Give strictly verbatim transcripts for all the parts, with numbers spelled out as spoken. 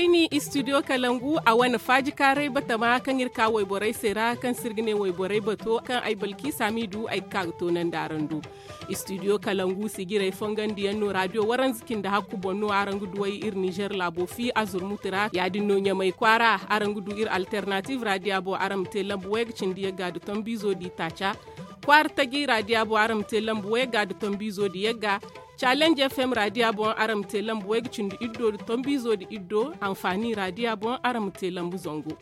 Ni istidiyo kalangu a wane faajikaaray batama kaŋ iri ka wayborey se ra kaŋ se iri ga ne wayborey bato kaŋ ay balki saamiidu ay ga ka ga toonandi araŋ do. Istidiyo kalangu sijirey fongandiyaŋ no raadiyo waranza cindi hakku boŋ no araŋ ga duw'ey iri nizer laabo fi a zurmuti ra ya- din no ɲamay kwaara araŋ ga du iri alternatiiv raadiya boŋ araŋ ma te lambu way ga cindi yagga nda tombiizo nda itaaca. Kwaara taji raadiya boŋ araŋ ma te lambu way ga nda tombiizo nda yagga. Challenge fm raadiya boŋ araŋ ma te lambu way ga cindi iddo nda tombiizo nda iddo. Anfaani raadiya boŋ araŋ ma te lambu zangu.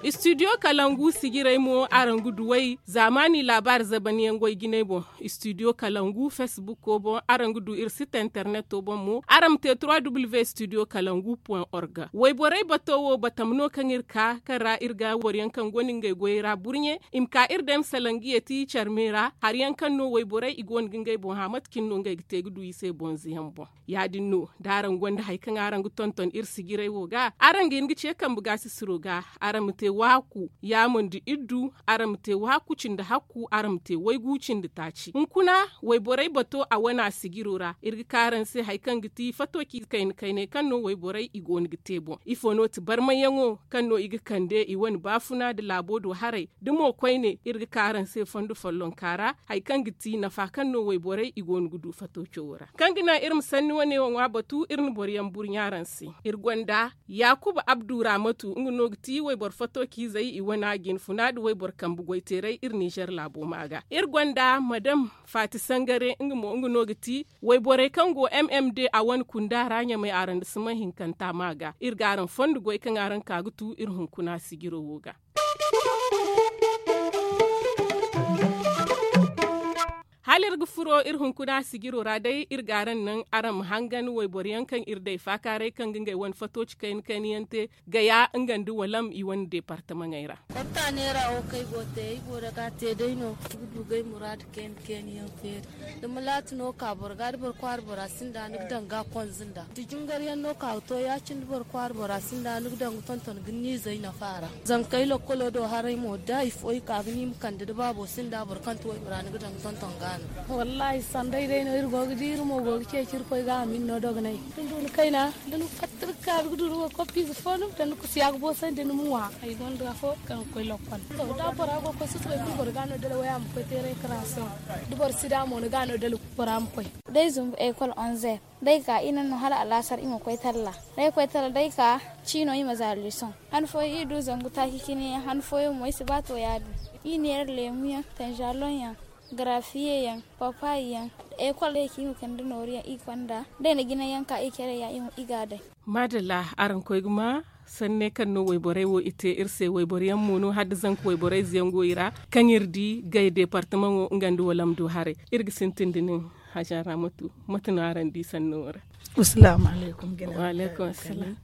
Istidiyo kalangu sijirey mo araŋ ga duw'ey zaamaani laabaari zabanyaŋ goy jinay boŋ. Istidiyo kalangu fesbukko boŋ araŋ ga du iri site interneto boŋ mo araŋ ma te trois w istidiyo kalangu point org. Wayborey bato wo batam no kaŋ iri ka kaŋ ra iri ga boroyaŋ kaŋ gonda ngey goyey ra burɲe i ma ka iri day ma salaŋ ga yeeti care me ra hari yaŋ kaŋ no wayborey i go no ga ngey boŋ hã mate cine no ngey ga te ga du i se bonze yaŋ boŋ. Ya- din no da araŋ gonda hari kaŋ araŋ ga tonton iri sijirey wo ga araŋ ga hin ga ce kambe gaasisiro ga. Araŋ ma te waaku yaamo nda iddu. Araŋ ma te waaku cindi hakku araŋ ma te waygu cindi taaci hunkuna. Wayborey bato a wane a sijiro ra iri ga ka araŋ se hari kaŋ ga ti fato ci kayna kaynay kaŋ no wayborey i go no ga te boŋ ifo no ti barmayyaŋo kaŋ no i ga kande i wane baafuna nda laabo do haray da mo koyne iri ga ka araŋ se fondo follonka ra hari kaŋ ga ti nafa kaŋ no wayborey i go no ga du fato cawo ra kaŋ ga naŋ iri ma sanni wane wo ŋwa batu iri na boroyaŋ burɲa araŋ se. Iri gonda yaakuba abdu raamatu nga no ga ti wayboro fato ciizey i wane a jinfuna nda wayboro kambe goyteeray iri nizer laabo ma ga iri gonda madam faati sangare nga mo nga no ga ti wayborey kaŋ go m m d a wane kunda ra ɲamay araŋ nda siman hinkanta ma ga iri ga araŋ fondo goy kaŋ araŋ ka ga tu iri hunkuna sijiro wo ga. Hala iri ga furo iri hunkuna sijiro ra day iri ga araŋ naŋ araŋ ma hangan wayboro yaŋ kaŋ iri day faakaaray kaŋ ga ngey wane fato ci kayna kayna yaŋ te gaya nga nda walam i wane deepartamaŋey ra. Fatta neera wo kaŋ ay go ga te ay go daga te day no ga du ga ay muraadu kayna kayna yaŋ feeri. Da malaati no ka boro ga da boro kwaara bora sinda ni ga daŋ ga konza nda da jingar yaŋ no ka ga to ya- cine da boro kwaara bora sinda ni ga daŋ ga tonton ga ni izey nafa ra. Zankey lokkolo do haray mo da hari fo i ka ga ni ma kande da baabo sinda boro kaŋ ti waybora ni ga daŋ ga tonton ga no. Wallaahi sanday day no iri go ga di iri mo go ga ceeci iri koy ga a ma iri no dogonay da ni du ni kayna da ni fatta iri ga ka ga du ni wo koppiize fo no da ni kusiya ga boosandi ni ma ŋwa. Ay gonda afo kaŋ ga koy lokkol to da bora go ga koy susubay kulu boro ga no dala waya ma koy teeray karaaso. Da boro si da mo ni ga no dala bora ma koy. Day zumbu ekol onzer day ka i naŋ no hala alaasar i ma koy talla. Day koy talla day ka ciino i ma za leesoŋ. Han fooyaŋ i du zangu taaci cine yaŋ han fooyaŋ mo i si ba to ya- din. I neera leemu yaŋ tanzaloŋ yaŋ, garafiye yaŋ, papaayi yaŋ. Ekol day ka i ma kande nooru yaŋ i konda day na jinayaŋ ka i care ya i ga a day. Maadalla, araŋ koy ga ma sanne kaŋ no wayborey wo i te iri se wayboro yaŋ mo no hala da zanka wayborey ze yaŋ go i ra kaŋ iri di gay deepartamaŋo nga nda walam du haray. Iri ga sintin da nin haja ra matu mate no araŋ di sanno wo ra? Asalaamu alaykum.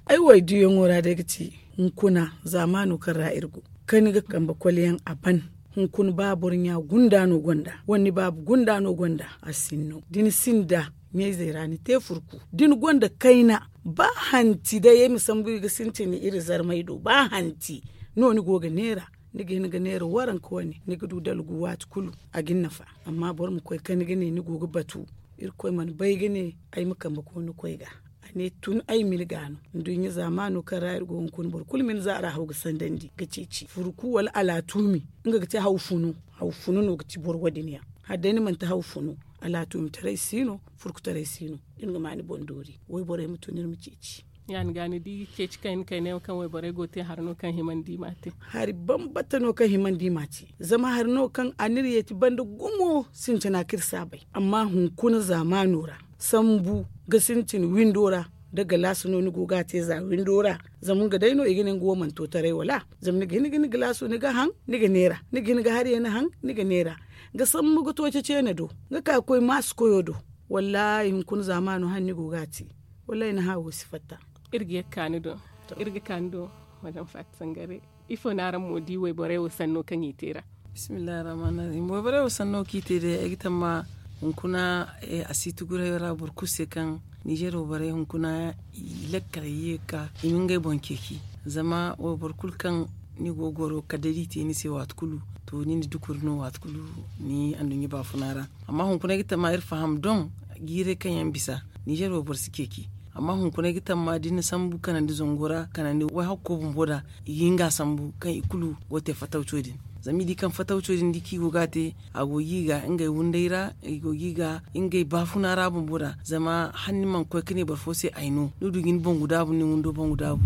Ay wo ay diyaŋo ra day ga ci hunkuna zaamaano kaŋ ra iri go kaŋ ni ga kambe kole yaŋ a ban. Hunkuna ba boro ɲa gunda no gonda wala ni baaba gunda no gonda a sinno da ni sinda ɲayzey ra ni te furku da ni gonda kayna ba hanti day ay ma sambu i ga sintin iri zarmay do ba hanti no ni go ga neera. Ni ga hin ga neera waranka wane ni ga du dalgu waati kulu a ga ni nafa. Amma boro ma koy kaŋ ni ga ne ni go ga batu irkoy mana bay ga ne ay ma kambe koy ni koy ga. A ne tun ay ma ni ga no nduɲɲa zaamaano kaŋ ra iri go hunkuna boro kulu ma ni zaara haw ga sandandi ga ceeci furku wala alaatuumi. Nga ga te haw funu. Haw funu no ga ti boro wo- din yaŋ hala day ni manti haw funu alaatuumi taray si no. Furku taray si no da ni ga ma ni boŋ doori wayborey ma tun iri ma ceeci. Ya- din ga ni di ceeci kayna kayna yaŋ kaŋ wayborey go ga te hari no kaŋ himandi i m'a te. Hari bambata no kaŋ himandi i m'a te. Zama hari no kaŋ a n'iri yeeti banda gumo sintina kaŋ iri si a bay. Amma hunkuna zaamaano ra sambu ga sintin windo ra da galaasi no ni go ga a te za windo ra. Zama nga day no i ga ne nga wo mana to taray wala? Zama ni ga hin ga ni galaaso ni ga haŋ ni ga neera ni ga hin ga hari yaŋ ni haŋ ni ga neera. Ga sambu ga to ceeci yaŋ ni do ga ka ga koy maasi koyo do. Wallaahi hunkuna zaamaano hala ni go ga a te. Wallaahi ni haawo si fatta. Iri ga ye ga ka ni do. Iri ga ka ni do. Madame faati sangare, ifo no araŋ mo di wayborey wo sanno kaŋ i te ra? Bismillahi arrahmani arrahim wayborey wo sanno kaŋ i te day ay ga tamma hunkuna a si tuguray ra boro kulu se kaŋ nizer wayborey hunkuna i lakkal ye ga ka i ma ngey boŋ ceeci. Zama wayboro kulu kaŋ ni go ga goro kala day da i te ni se waati kulu to ni na dukuri no waati kulu ni anduɲɲa baafuna ra. Amma hunkuna ay ga tamma iri faham doŋ jiiray kaŋ yaŋ bisa nizer wayboro si ceeci. Amma hunkuna ay ga tamma da ni na sambu kanandi zango ra kanandi wayhakko bumbo da i ga hin ga a sambu kaŋ i kulu go ga te fatawco din. Zama i di kaŋ fatawco din da i kaŋ i go ga a te a go ga i ga ngey wunday ra i go ga i ga ngey baafuna ra bumbo da zama hala ni mana koy ga ne boro fo se ay no ni du ga ni bangu daabu ni windo bangu daabu.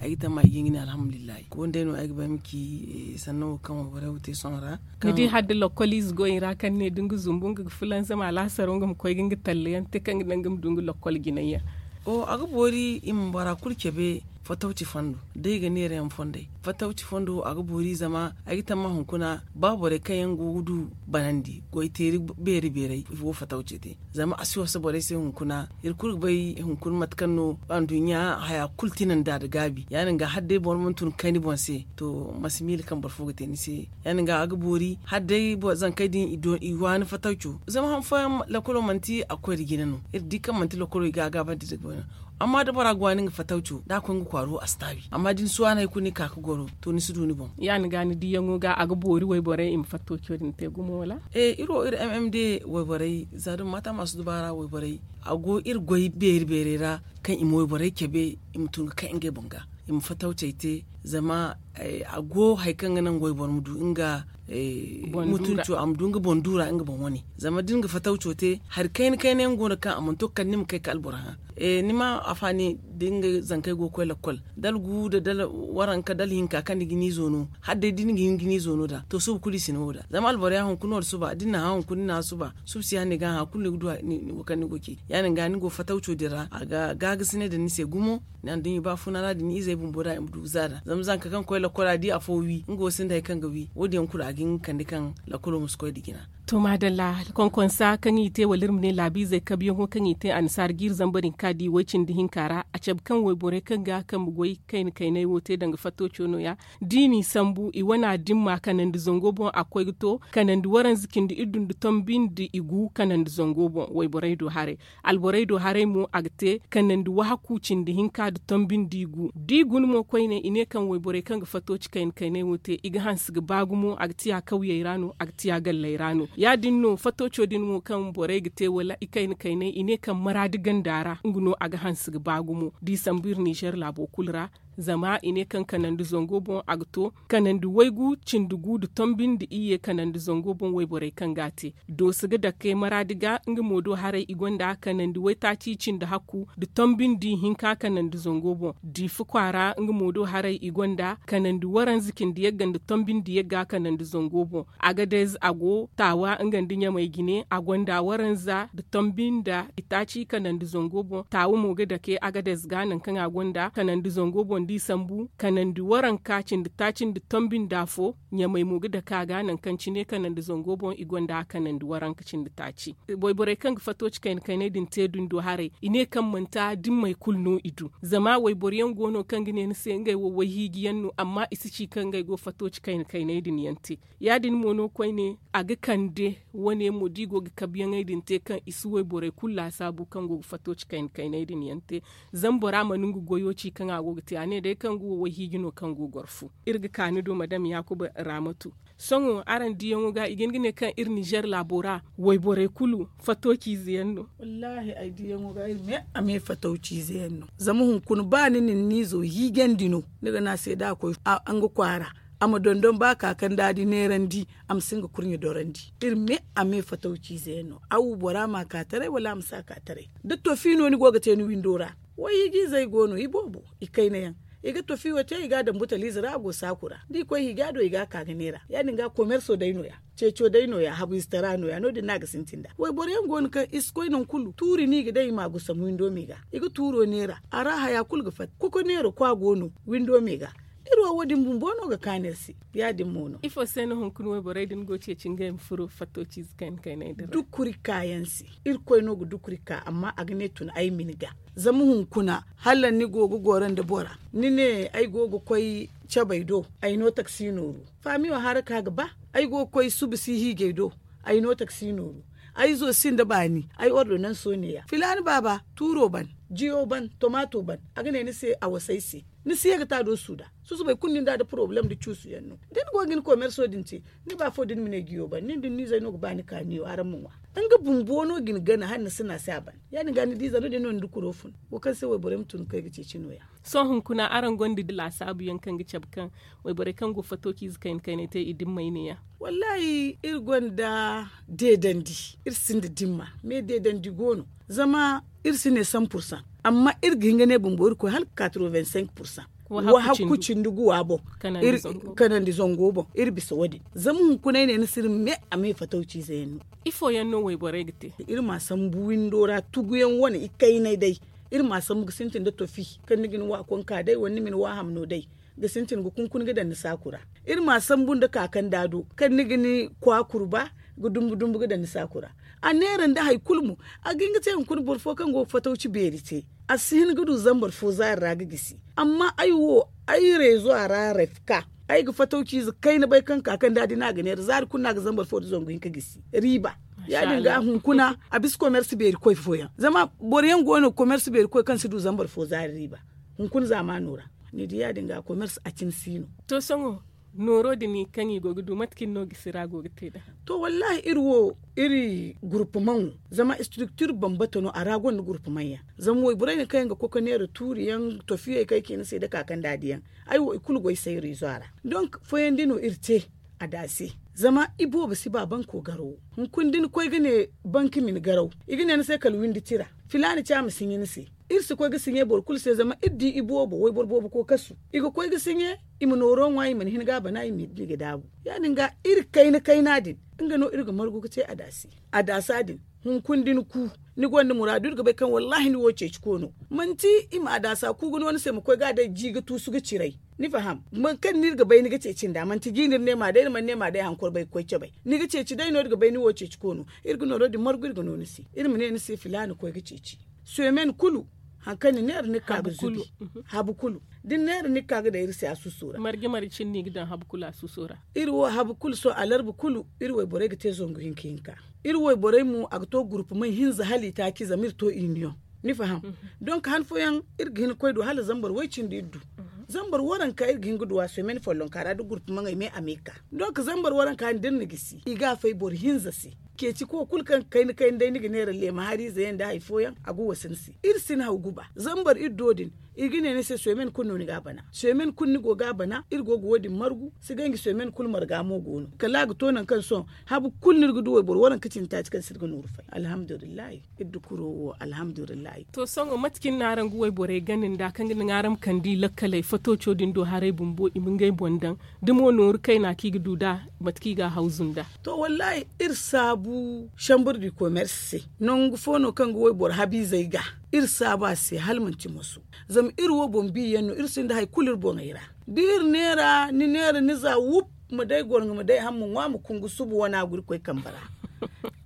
Ay ga tamma i ga hin ga ne alhamdulillahi wandey no ay ga ba ay ma ci sanno wo kaŋ wayborey wo te sohõ ra. Ni di hala da lokkol ize go i ra kaŋ ne da nga zumbu nga ga fulanzam alaasaro nga ma koy ga nga talla yaŋ te kaŋ ga naŋ nga ma du nga lokkol jinay yaŋ. A ga boori i ma bora kulu cabe fatawci fondo da i ga neera yaŋ fondey fatawci fondo a ga boori zama ay ga tamma hunkuna ba borey kaŋ yaŋ go ga du banandi goy teeri beeri beerey i go ga fatawci te. Zama a si wasa borey se hunkuna iri kulu ga bay hunkuna mate kaŋ no anduɲɲa haya kulu tinandi a da gaabi ya- din ga hala day boro mana tun ga kay ni boŋ se to ma si miila kaŋ boro fo ga te ni se. Ya- din ga a ga boori hala day zankey din i waani fatawco zama han fooyaŋ lakkolo manti a ga koy nda jina no iri di kaŋ manti lakkolo i ga a gaabandi nda goy no. Amma da bora ga waani nga fatawco da a koy nga kwaaro a si taabi amma da ni si waani hari kulu ni ka ga goro to ni si du ni boŋ. Ya- din ga ni diyaŋo ga a ga boori wayborey i ma fatawco din te gumo wala? Iri wo iri mm day wayborey za da ma maata maasu dubaara wayborey a go iri goy beeri beerey ra kaŋ i ma wayborey cabe i ma tun ga kay ngey boŋ ga i ma fatawcey te zama a go hari kaŋ ga naŋ wayboro ma du nga mutunco a ma du nga boŋ duura nga boŋ wane. Zama da ni ga fatawco te hari kayna kayna yaŋ go no kaŋ a mana to ga kande ni ma kay ga alboro hã. Ni ma a faani da ni ga zankey go ga koy lakkol da algu da waranka da alhinka kaŋ ni ga ni izo no hala day da ni ga hin ga ni izo no da to suba kulu i si ni wo da zama alboro ya hunkuna wala suba da ni na hã hunkuna ni na hã suba suba si hã ni ga hã kulu ni ga du wo kaŋ ni go ga ci ya- din ga ni go fatawco din ra a ga gaagasinay daŋ ni se gumo. Ni anduɲɲa baafuna ra da ni izey bumbo da i ma du ga za da zama zanka kaŋ koy lakkol a di afo wi nga wo sinda hari kaŋ ga wi wo- din yaŋ kulu a ga hin ga kande kaŋ lakkolo ma si koy nda jina. To maadalla konkonsa kaŋ i te wala iri ma ne laabiizey kabiyaŋo kaŋ i te annasaara ga iri zamba din ka di way- cindi hinka ra a cabe kaŋ wayborey kaŋ ga kaŋ ma goy kayna kaynay wo te danga fatto coono ya da i n'i sambu i wana dimma kanandi zango boŋ a ga koy ga to kanandi waranza cindi iddu nda tombi nda i gu kanandi zango boŋ wayborey do haray. Alborey do haray mo a ga te kanandi wahaku cindi hinka nda tombi nda i gu da i guna mo koyne i ne kaŋ wayborey kaŋ ga fatto ci kayna kaynay wo te i ga hanse ga ba gumo a ga tiya kawyey ra no a ga tiya galley ra no ya- din no fatto co din mo kaŋ borey ga te wala i kayna kaynay i ne kaŋ maraadi ganda ra nga no a ga hanse ga ba gumo da i sambu iri nizer laabo kulu ra. Zama i ne kaŋ kanandi zango boŋ a ga to kanandi waygu cindi gu nda tombi nda iyye kanandi zango boŋ wayborey kaŋ ga a te dooso ga dake maraadi ga nga mo do haray i gonda kanandi waytaaci cindi hakku nda tombi nda ihinka kanandi zango boŋ diifa kwaara nga mo do haray i gonda kanandi waranza cindi yagga nda tombi nda yagga kanandi zango boŋ. Agadez a go taawa nga nda ɲamay jine a gonda waranza nda tombi nda itaaci kanandi zango boŋ taawa mo ga dake agadez ga nangu kaŋ a gonda kanandi zango boŋ da i sambu kanandi waranka cindi taaci nda tombi nda afo. Ɲamay mo ga dake a ga nangu kaŋ cine kanandi zango boŋ i gonda kanandi waranka cindi taaci. Wayborey kaŋ ga fatto ci kayna kaynay din te dundo haray i ne kaŋ manti a dimmey kulu no i du zama wayboro yaŋ go no kaŋ ga ne ni se ngey wo wayhiiji yaŋ no amma i si ci kaŋ ngey go fatto ci kayna kaynay din yaŋ te. Ya- din mo no koyne a ga kande wane mo da i go ga kabiyaŋey din te kaŋ i si wayborey kulu laasaabu kaŋ go ga fatto ci kayna kaynay din yaŋ te. Zama bora mana nga goyo ci kaŋ a go ga te a ne day kaŋ ga wo wayhiiji no kaŋ go ga goro fu. Iri ga ka ni do madam yaakuba raamatu. Sohõ araŋ diyaŋo ga i ga hin ga ne kaŋ iri nizer laabo ra wayborey kulu fatto ciize yaŋ no. Wallaahi ay diyaŋo ga iri me a me fatto ciize yaŋ no. Zama hunkuna ba ni na ni na izo hiijandi no ni ga ne a se da a koy nga kwaara a ma dondon ba ka kaŋ da a di neerandi a ma si nga kurɲe dorandi. Iri me a me fatawciize yaŋ no aw bora ma a ka taray wala a ma si a ka taray. Da tofi no ni go ga te ni windo ra wayhiijiizey go no i boobo i kayna yaŋ. I ga tofi wo te i ga a daŋ butaliize ra a go saaku ra da i koy hiija do i ga a ka ga neera ya- din ga komerso day no- ya ceeco day no- ya habu ize tara no- ya no- din no a ga sintin nd'a. Wayboro yaŋ go no kaŋ i si koy nangu kulu tuuri no i ga daŋ i ma a gusam windo me ga i ga tuuro neera a ra haya kulu ga fatta koko neera kwa go no windo me ga. Iri wo wo- din bumbo no ga kaanu iri se. Ya- din mo no ifo se no hunkuna wayborey din go ceeci ngey ma furo fatto ciize kayna kaynay din ra dukuri ka yaŋ se. Irkoy no ga dukuri ka amma a ga ne tun ay ma ni ga zama hunkuna hala ni go ga goro nda bora ni ne ay go ga koy cabey do ay no taksi nooru faamiyo hara ka ga ba ay go ga koy suba si hiijey do ay no taksi nooru ay izo sinda baani ay ordonanso ne- ya filaani baaba tuuro ban jiyo ban tomaato ban a ga ne ni se a wasa ay se. ni si ye ga ta do suuda. Susubay kulu nin da a da porobalem da cuusu yaŋ no da ni go ga ni komerso din te. Ni ba fo da ni ma ne giyo ban nin da ni n'izey no ga ba ni ka niyo araŋ ma ŋwa. Nga bumbo no ga ni gana hala ni si na se a ban. Ya- din ga ni di ize no- din no ni da kuro fun. Wo kaŋ se wayborey ma tun ga kay ga ceeci no- ya. Sohõ hunkuna araŋ gonda laasaabu yaŋ kaŋ ga cabe kaŋ wayborey kaŋ go fatooci ize kayna kayney te i dimmey ne- ya? Wallaahi, iri gonda deedandi. Iri sinda dimma. Me deedandi go no. Zama iri si ne san pursan. Amma iri ga hin ga ne bumbo iri koy hala ga ka tiro vingt-cinq pursan. Wa hakku cindi guwa boŋ. Kanandi zango boŋ iri bisa wo- din. Zama hunkuna ay ne ni si iri me a me fatawci ize yaŋ no. Ifo yaŋ no wayborey ga te? Iri ma sambu windo ra tuguyaŋ wane ikaynay day. Iri ma sambu ga sintin da tofi kaŋ ni ga ni wa konka day wala ni ma ni wa hamno day. Ga sintin ga kunkuni ga daŋ ni saaku ra. Iri ma sambu nda kaakanda do kaŋ ni ga ni kwaakur ba ga dumbu dumbu ga daŋ ni saaku ra. A neera nda hari kulu mo. A ga hin ga te hunkuna boro fo kaŋ go ga fatawci beeri te. A si hin ga du zambar fo zaari ra ga gisi. Amma ay wo, ay reezo a ra refka. Ay ga fatawci ize kayna bay kaŋ ka kaŋ da a di no a ga neera zaari kulu no a ga zambar fo nda zangu hinka gisi. Riiba. Ya- din ga hunkuna a bisa komersi beeri koy fooyaŋ zama boro yaŋ go no komersi beeri koy kaŋ si du zambar fo zaari riiba. Hunkuna zaamaano ra. Ni di ya- din ga komersi a cine si no. To sohõ nooro din kaŋ i go ga du mate kaŋ no gisi ra go ga te nd'a? To wallaahi iri wo, iri gurpumaŋo zama istriktir bambata no a ra gonda gurpumaŋ yaŋ. Zama wayborey din kaŋ yaŋ ga koy ga neera tuuri yaŋ tofiyey kaŋ ay ci ni se da kaakanda di yaŋ. Ay wo i kulu go ay se iri izo a ra. Donk fooyaŋ di no iri te. A da se. Zama i boobo si ba banko garawo. Hunkuna da ni koy ga ne banki ma ni garaw, i ga ne ni se kala windi tira. Filaana ci a ma siɲe ni se. Iri si koy ga siɲe boro kulu se zama iri di i boobo wayboro boobo koy kasu. I ga koy ga siɲe. I ma nooro ŋwa i mana hin ga a bana i ma i di ga daabu. Ya- din ga iri kayna kayna din, nga no iri ga margu ga te a da se. A da se a din. Hunkuna da ni ku, ni gonda muraadu iri ga bay kaŋ wallaahi ni wo ceeci koono. Manti i ma a da se a ku ga no ni se ma koy ga a day ji ga tuusu ga ciray. Ni faham? Boro kaŋ no iri ga bay ni ga ceeci nd'a manti ji no iri ne ma day iri mana ne ma day hankoro bay ga koy cabay. Ni ga ceeci day no iri ga bay ni wo ceeci koono. Iri ga nooro din margu iri ga no ni se. Iri ma ne ni se filaana koy ga ceeci. Somen kulu. Hari kaŋ ni neera ni ga ka ga zubi. Habu kulu. Da ni neera ni ga ka ga daŋ iri se a suuso ra. Marje marje cine no i ga daŋ habu kulu a suuso ra. Iri wo habu kulu sohõ alarba kulu. Iri wayborey ga te zangu hinka hinka. Iri wayborey mo a ga to gurpumay hinza hala itaaci zama iri to iniyoŋ. Ni faham? Donk han fooyaŋ iri ga hin ga koy du hala zambar way cindi iri du. Zambar waranka iri ga hin ga du a somen follonka ra da gurpumaŋey me a me ga ka. Donk zambar waranka din da iri na gisi i ga a fay boro hinza se. Ceeci ko kulu kaŋ ga kayna kayna day ni ga neera leema hariize yaŋ nda hari fooyaŋ a ga wasa ni se. Iri si ni haw guba zambar iri do din. I ga ne ni se somen kulu no ni ga a bana somen kulu ni go ga a bana iri go ga wo- din margu. Si ganji somen kulu marga mo go no kala a ga to nangu kaŋ sohõ habu kulu no iri ga du wayboro waranka cindi taaci kaŋ se iri ga nooru fay alhamdulillahi. Iri da kuro wo alhamdulillahi. To sohõ mate cine no araŋ ga wayborey gana nd'a kaŋ ga naŋ araŋ ma kande i lakkaley fatooco din do haray bumbo i ma ngey boŋ daŋ da mo nooru kayna kaŋ i ga du nd'a mate kaŋ i ga a hawzu nd'a? To wallaahi iri saabu chambre du commerce se. Nangu fo no kaŋ ga wayboro habiizey ga. Iri saabu a se hala manti moso. Zama iri wo boŋ bi yaŋ no iri sinda hari kulu iri boŋey ra. Da iri neera ni neera ni za wup ma day gorŋo ma day haŋ ma ŋwa ma kungu suba wana guri koy kambe ra.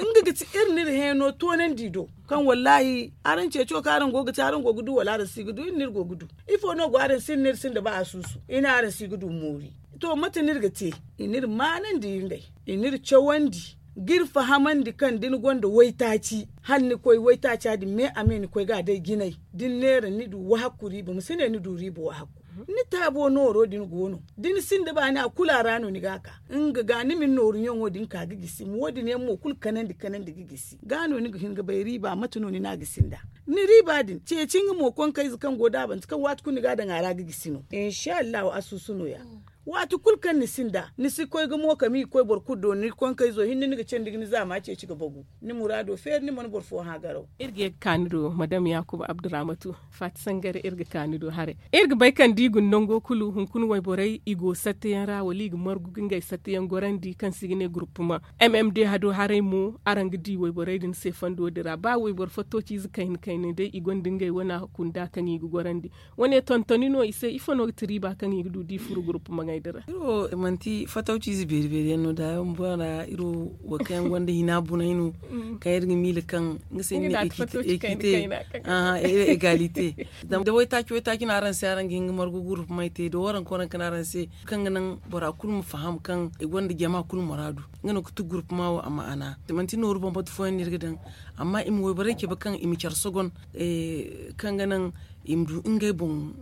Nga ga ti iri n'iri heeno toonandi do kaŋ wallaahi araŋ ceeco kaŋ araŋ go ga te araŋ go ga du wala araŋ si ga du iri n'iri go ga du. Ifo no go araŋ si iri n'iri sinda ba a suusu i ne araŋ si ga du moori. To mate no iri ga te? I n'iri maanandi ngey i n'iri cawandi ga iri fahamandi kaŋ da ni gonda waytaaci hala ni koy waytaaca din me a me ni koy ga a day jinay da ni neera ni du wahakku riiba ma si ne ni du riiba wahakku. Ni taabo nooro din go no da ni sinda baani a kulu a ra no ni ga a ka. Nga ga ni ma ni nooru ɲaŋo din ka ga gisi ma wo- din yaŋ mo kulu kanandi kanandi ga gisi ga no ni ga hin ga bay riiba mate no ni n'a gisi nd'a. Ni riiba din ceeci nga mo konkayze kaŋ go daabante kaŋ waati kulu ni ga a daŋ a ra ga gisi no insa allahu a suusu no- ya. Waati kulu kaŋ ni sinda ni si koy ga mo kami ga koy boro kulu do ni konkayzo hinne ni ga candi ga ni zaama ceeci ga bagu. Ni muraado feeri ni mana boro fo hã garaw. Iri ga ye ga ka ni do madam yaakuba abduramatu faati sangare iri ga ka ni do haray. Iri ga bay kaŋ da i guna nango kulu hunkuna wayborey i go satteyaŋ ra wala i ga margu ga ngey satteyaŋ gorandi kaŋ se i ga ne gurupuma. M M D hado haray mo araŋ ga di wayborey din se fondo din ra ba wayboro fattociize kayna kayna day i gonda ngey wana kunda kaŋ i ga gorandi. Wane tontoni no i se ifo no ga ti riiba kaŋ i ga du da i furo gurupuma ŋey din ra? Iri wo manti fatawciize beeri beeri yaŋ no da yaŋ bora iri wo wo kaŋ yaŋ gonda hina bunay no kaŋ iri ga miila kaŋ nga se ni ne ekite. Egalite. Zama da waytaaci waytaaci no araŋ se araŋ ga hin ga margu gurupumay te da waranka waranka no araŋ se kaŋ ga naŋ bora kulu ma faham kaŋ i gonda jama kulu muraadu. Nga no ga ti gurupuma wo a ma'ana manti nooru bambata fooyaŋ no iri ga daŋ. Amma i ma wayborey cabe kaŋ i ma care sogon kaŋ ga naŋ i ma du ngey boŋ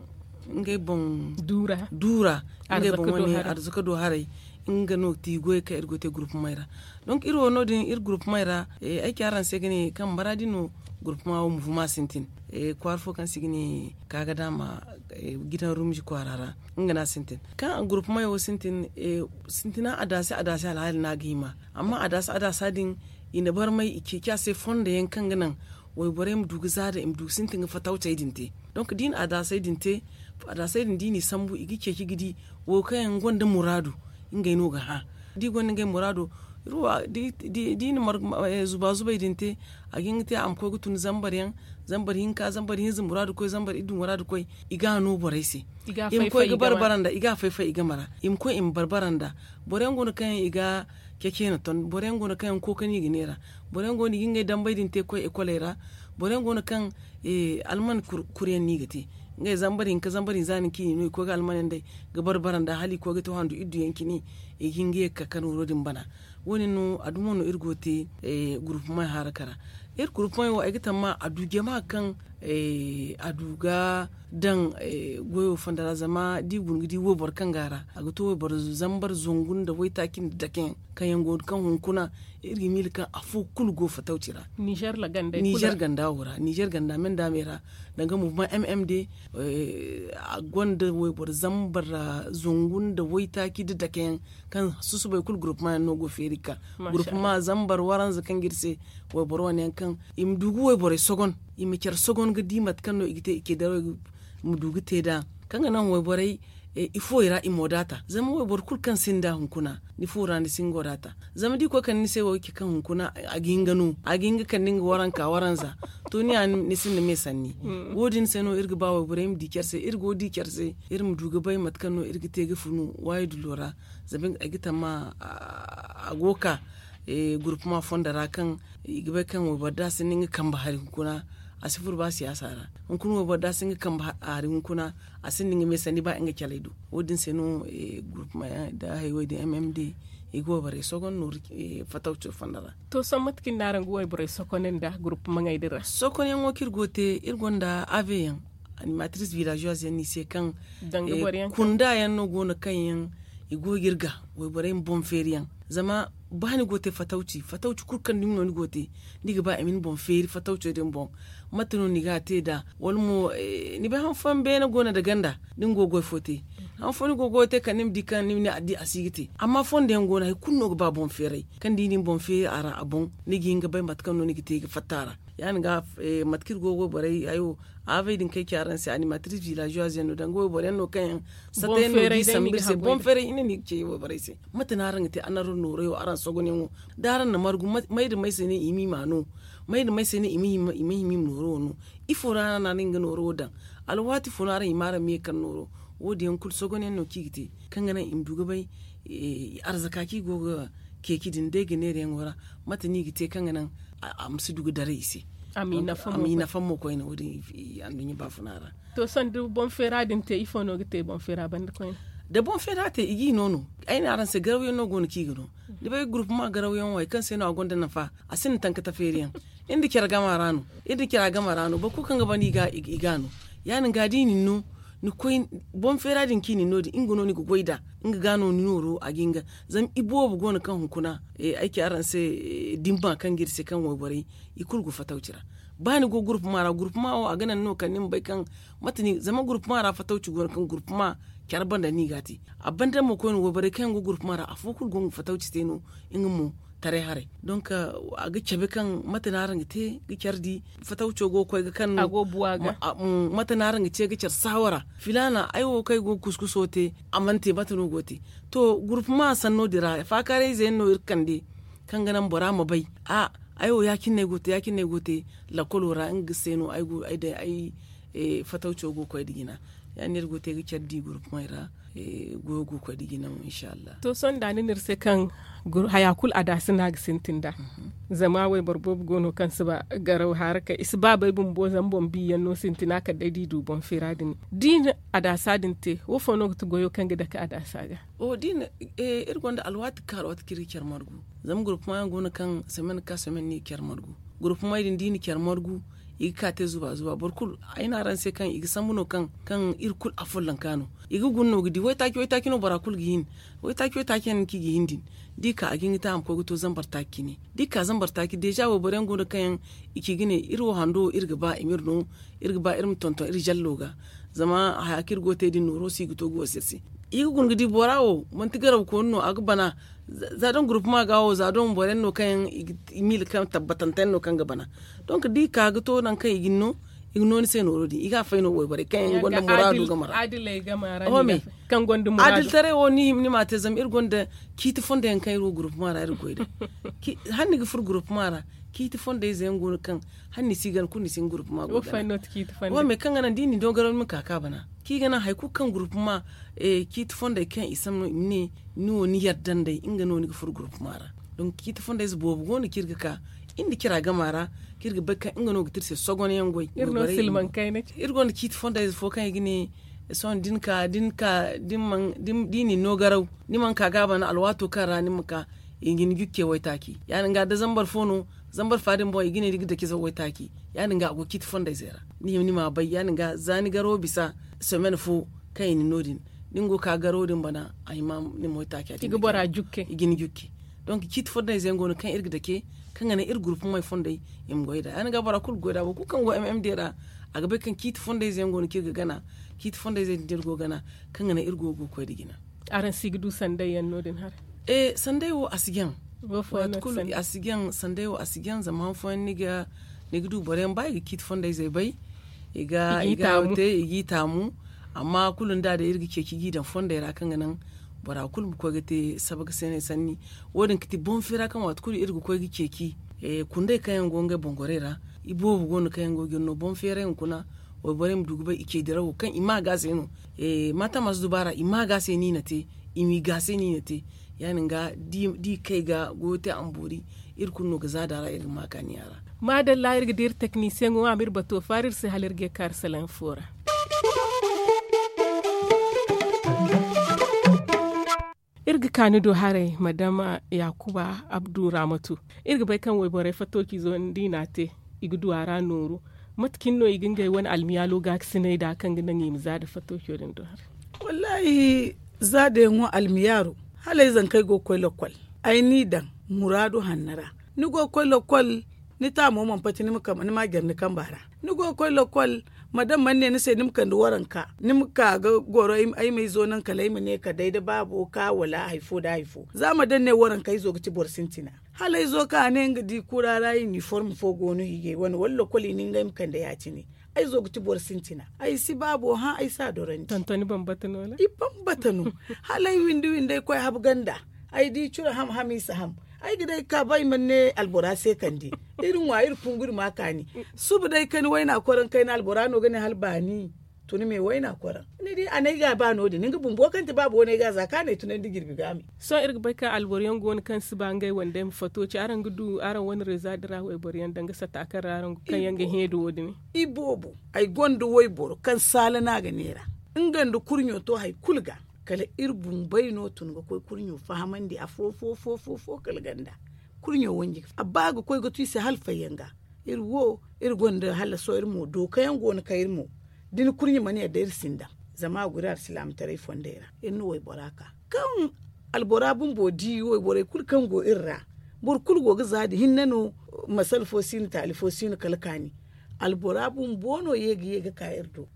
ngey boŋ duura ngey boŋ wane arzaka do haray. Nga no ti goy kaŋ iri go te gurupumay ra. Donc iri wo no- din iri gurupumay ra ay ci araŋ se ga ne kaŋ mara din no gurupuma wo muvuma sintin. Kwaara fo kaŋ se i ga ne kaagadaama gidan rumji kwaara ra nga no a sintin. Kaŋ gurupumay wo sintin sintina adaasi adaasi alhaali no a ga hima. Amma adaasi adaasa din i na barmay i ceeci a se fondo yaŋ kaŋ ga naŋ wayborey ma du ga zaada i ma du ga sintin ga fatawcey din te. Donc da i na adaasey din te adaasey din da i n'i sambu i ga ceeci ga di wo kaŋ yaŋ gonda muraadu ngey no ga hã. Da i gonda ngey muraado da i na zuba zubay din te a ga hin ga te a ma koy ga tun zambar yaŋ, zambar hinka zambar hinza muraadu koy zambar iddu muraadu koy. I ga a no borey se i ma koy ga barbara nda i ga a fay fay i game ra i ma koy i ma barbara nda. Boro yaŋ go no kaŋ yaŋ i ga ceceena ton boro yaŋ go no kaŋ yaŋ kooka no i ga neera. Boro yaŋ go no i ga ngey dambey din te ga koy ekoley ra. Boro yaŋ go no kaŋ alman kuri yaŋ no i ga te ngey zambar hinka zambar hinza no i ga koy ga alman yaŋ day ga barbara nda hala i koy ga te handu iddu yaŋ cine. I ga hin ga ye ga ka ka nooro din bana. Wo- din no a dumo no iri go ga te gurupumay haraka ra. Iri gurupumay wo ay ga tamma a du jama kaŋ a du ga daŋ goyo fonda ra zama da i guna ga di wayboro kaŋ go a ra a ga to wayboro zambar zangu nda waytaaci nda dake yaŋ kaŋ yaŋ go ga kaŋ hunkuna iri ga miila kaŋ afo kulu go fatawci ra. Nizer ganda wo ra nizer ganda me nda me ra danga muvuma mm de a gonda wayboro zambar zangu nda waytaaci nda dake yaŋ kaŋ susubay kulu gurupuma yaŋ no go feeri ga ka gurupuma zambar waranza kaŋ ga iri se wayboro wane yaŋ kaŋ i ma du ga wayborey sogon i ma care sogon ga di mate kaŋ no i ga te i ce darawey ma du ga te nd'a kaŋ ga naŋ wayborey ifooyaŋ ra i ma wadaata zama wayboro kulu kaŋ sinda hunkuna ni fo ra ni si hin ga wadaata. Zama da i koy kande ni se wo ga ci kaŋ hunkuna a ga hin ga no a ga hin ga kande nga waranka waranza to ni ya ni sinda me sanni. Wo- din se no iri ga ba wayborey ma di care se iri go ga di care se iri ma du ga bay mate kaŋ no iri ga te ga funu waayi dullo ra. Zama ay ga tamma a go ga ka gurupuma fondo ra kaŋ i ga bay kaŋ wayboro da a sinda nga kambe hari hunkuna a si furo ba siyaasa ra. Hunkuna wayboro da a sinda nga kambe hari hunkuna a sinda nga me sanni ba nga caley do. Wo- din se no gurupuma yaŋ nda hayey din mm d i ga wayborey sogon nooru fatawco fondo ra. To sohõ mate kaŋ ni na araŋ ga wayborey sokoney nda gurupuma ŋey din ra? Sokonyaŋo kaŋ iri go ga te iri gonda ave yaŋ animatrice villageoise yaŋ no i se kaŋ kunda yaŋ no go no kaŋ yaŋ i go ga iri ga wayborey ma boŋ feeri yaŋ. Zama ba ni go ga te fatawci fatawci kulu kaŋ dumi no ni go ga te ni ga ba i ma ni boŋ feeri fatawco din boŋ. Mate no ni ga a te nd'a wala mo ni bay han fooyaŋ beene go no nda ganda da ni go ga goy fo te han fooyaŋ ni go ga goy te kala ni ma di kaŋ ni ma ne a si ga te. Amma fondo yaŋ go no hari kulu no ga ba boŋ feeray kaŋ da i na ni boŋ feeri a ra a boŋ ni ga hin ga bay mate kaŋ no ni ga te ga fatta a ra. Ya- din ga mate kaŋ iri go ga borey hayo aavey din kaŋ ay ci araŋ se animatrice villageoise yaŋ no danga wayboro yaŋ no kaŋ yaŋ sata yaŋ no ga i sambu iri se boŋ feeray hinne no i ga ce wayborey se. Mate no araŋ ga te annaru nooray wo araŋ sogonyaŋo da araŋ na margu may nda may se no i ma i ma no? May nda may se no i ma hima i ma nooro wo no? Ifo ra no araŋ ga nooro wo daŋ? Alwaati fo no araŋ hima araŋ ma ye ga kande nooro? Wo- din yaŋ kulu sogonyaŋ no kaŋ i ga te kaŋ ga naŋ i ma du ga bay arzaka kaŋ i go ga ceeci din day ga neerayaŋo ra mate no i ga te kaŋ ga naŋ a ma si du ga daray i se? A ma i nafa mo koyne wo- din anduɲɲa baafuna ra. To sanda boŋ feera din te ifo no ga te boŋ feera banda koyne? Da boŋ feera te i ga i no no ay ne araŋ se garawyaŋ no go no kaŋ i ga no. Ni bay gurupuma garawyaŋ wo hari kaŋ se no a gonda nafa a sinda tankata feeriyaŋ. Iri nda care gama ra no iri nda care gama ra no boro kulu kaŋ ga ban i ga a no. Ya- din ga da i na ni no ni koy boŋ feera din kaŋ i na ni no din nga no ni ga goy nd'a. Nga ga no ni nooro a ga hin ga zama iboobo go no kaŋ hunkuna ay ci araŋ se dimma kaŋ ga iri se kaŋ wayborey i kulu go fatawci ra. Ba ni go gurupuma ra gurupuma wo a ga naŋ no kala ni ma bay kaŋ mate ni zama gurupuma ra fatawci go no kaŋ gurupuma care banda no i ga a te. A banda mo koyne wayborey kaŋ yaŋ go gurupuma ra afo kulu go ga fatawci te no nga mo taray haray. Donk a ga cabe kaŋ mate no araŋ ga te ga care di fatawco go ga koy ga kaŋ no mate no araŋ ga ce ga care saawara filaana ay wo kaŋ ay go ga kuskuso te a mana te mate no go ga te? To gurupuma sanno din ra faakaarayze yaŋ no iri ga kande kaŋ ga naŋ bora ma bay a ay wo ya- cine no ay go ga te lakkolo ra nga se no ay go ay day ay fatawco go ga koy nda jina. Ya- din no iri go ga te ga care di gurupumey ra goyo go ga koy nda jina mo inshallah. To sohõ da ni ne iri se kaŋ haya kulu adaasi no a ga sintin nd'a. Zama wayboro boobo go no kaŋ si ba garaw harakay i si ba bay bumbo zama boŋ biyaŋ no sintina kala day da i du boŋ feera din da i na adaasa din te wo fo no ga ti goyo kaŋ ga dake adaasa ga? Iri gonda alwaati kaŋ alwaati kaŋ iri ga care margu. Zama gurupuma yaŋ go no kaŋ semaine ka semaine no i ga care margu. Gurupumey din da i na care margu I ga ka te zuba zuba boro kulu. Ay ne araŋ se kaŋ i ga sambu no kaŋ iri kulu afollanka no. I ga guna no ga di waytaaci waytaaci no bora kulu ga hin. Waytaaci waytaaci yaŋ no kaŋ i ga hin din. Da i ka a ga hin ga te a ma koy ga to zambar taaci cine. Da i ka zambar taaci deeza wayboro yaŋ go no kaŋ yaŋ i ci ga ne iri wo hando wo iri ga ba i ma iri no. Iri ga ba iri ma tonton iri zallo ga. Zama haya kaŋ iri go ga te din nooro se i ga to ga wasa iri se. I ga guna ga di bora wo manti garaw kooni no a ga bana. Za doŋ gurupuma ga wo za doŋ boro yaŋ no kaŋ yaŋ i ga miila kaŋ tabbatante yaŋ no kaŋ ga bana. Donk da i ka ga to nangu kaŋ i ga ni no i ga no ni se nooro din i ga a fay no wayborey kaŋ yaŋ gonda muraadu game ra. Adiltaray wo ni hima ni ma a te zama iri gonda ciiti fondo yaŋ kaŋ iri wo gurupuma ra iri ga goy day. Hala ni ga furo gurupuma ra ciiti fondo ize yaŋ go no kaŋ hala ni si gana kulu ni si hin gurupuma go gana. Wo me kaŋ ga naŋ da i na ni dogaraw ni ma ka ga bana kaŋ i ga naŋ hari kulu kaŋ gurupuma ciiti fondey kaŋ i sambu no i ma ne ni wo ni yadda nd'ey nga no ni ga furo gurupuma ra. Donk ciiti fondey ize boobo go no kaŋ iri ga ka iri nda cira gama ra kaŋ iri ga bay kaŋ nga no ga te iri se sogon yaŋ goy. Iri gonda ciiti fondey ize fo kaŋ i ga ne sohõ da ni ka da ni ka da i na ni no garaw ni mana ka ga a bana alwaato kaŋ ra ni ma ka i ga ni jucce waytaaci ya- din ga da zambar fo no zambar fa din boŋ i ga ne ni ga daci zaw waytaaci ya- din ga a go ciiti fondey ize ra. Ni hima ni ma a bay ya- din ga za ni garawo bisa somen fo kaŋ i na ni no- din da ni go ga ka garawo din bana a hima ni ma waytaaci a ga ni jucce. Donk ciiti fondey ize yaŋ go no kaŋ iri ga dace kaŋ ga naŋ iri gurupumey fondey i ma goy nd'a ya- din ga bora kulu ga goy nd'a boro kulu kaŋ go m m d ra a ga bay kaŋ ciiti fondey ize yaŋ go no kaŋ iri ga gana ciiti fondey ize din da iri go ga gana kaŋ ga naŋ iri go ga koy nda jina. Araŋ si ga du sanday yaŋ no- din hara? Sanday wo a si jaŋ. A si jaŋ sanday wo a si jaŋ zama han fooyaŋ ni ga du boro yaŋ ba i ga ciiti fondey izey bay i ga i ga hayo te i g'i taamu. Amma kulu ni da day iri ga ceeci g'i daŋ fondey ra kaŋ ga naŋ bora kulu ma koy ga te saba ga seeney sanni. Wo- din ga ti boŋ feera kaŋ waati kulu iri ga koy ga ceeci kundey kaŋ yaŋ go ngey boŋ gorey ra. Iboobo go no kaŋ yaŋ go ga iri no boŋ feeray hunkuna. Wayborey ma du ga bay i ce dirawo kaŋ i ma ga se no. Maata masu dubaara i ma ga se no i na te i m'i ga se no i na te. Ya- din ga da i kay ga goyo te a ma boori iri kulu no ga zaada ra iri ga ma kaani a ra. Maadalla iri ga di iri teknisiyeŋo a ma iri bato faara iri se hala iri ga ye kaari salaŋ fo ra. Iri ga ka ni do haray madama yaakuba abdu raamatu. Iri ga bay kaŋ wayborey fattociizo da i n'a te i ga du a ra nooru. Mate cine no i ga ngey wane almiyaalo gaakasinay nd'a kaŋ ga naŋ i ma za nda fattoco din do haray? Wallaahi, za da yaŋo almiyaaro hala ay zankey go ga koy lakkol. Ay n'i daŋ muraadu hanno ra. Ni go ga koy lakkol ni taamo mana pati ni ma jare ni kamba ra. Ni go ga koy lakkol madam mana ne ni se ni ma kande waranka ni ma ka ga goro ay ma izo naŋ kala ay ma ne ka day nda baabo ka wala hari fo nda hari fo za madam ne waranka izo ga ti boro sintina. Hala izo kaŋ a ne nga di kura ra iniform fo go no hiijay wane wala lakkol i na ngey ma kande ya- cine. Ay zo ga ti boro sintina. Ay si baabo hã ay si a dorandi. I bambata no. Hala ay windi windi ay koy habu ganda. Ay di curo ham ham i si ham. Ay ga day ga ka ba ay mana ne albora se kande. Iri ŋwa iri kungu iri ma kaani. Suba day kani wayna koraŋ kayna albora no ga ne hala baani. Tuna me wayna koraŋ ni di a ne ay ga ba no- din ni ga bumbo kaŋ ti baabo wane ay ga za kaŋ a ne tunandi jirbi ga me. Sohõ iri ga bay kaŋ alboro yaŋ go no kaŋ si ba ngey wane day ma fato ci araŋ ga du araŋ wane reeza din ra wayboro yaŋ danga sata kaŋ ra araŋ go kaŋ yaŋ ga hẽ da wo- din. Iboobo ay gonda wayboro kaŋ saala no a ga neera. Nga nda kurɲo to hari kulu ga kala iri bumbey no tun ga koy kurɲo fahamandi afo fo fo fo kala ganda. Kurɲo wanji a ba ga koy ga tu i se hala fayyaŋ ga. Iri wo iri gonda hala sohõ iri mo dookayaŋ go no kaŋ iri mo da ni kurɲe mana yadda iri si ni daŋ. Zama a guri alsilaamataray fondey ra iri na waybora ka kaŋ albora bumbo di wayborey kulu kaŋ go iri ra. Boro kulu go ga za da hinne no. Masala fo si no taali fo si no kala kaani. Albora bumbo no ye ga ye ga ka iri do.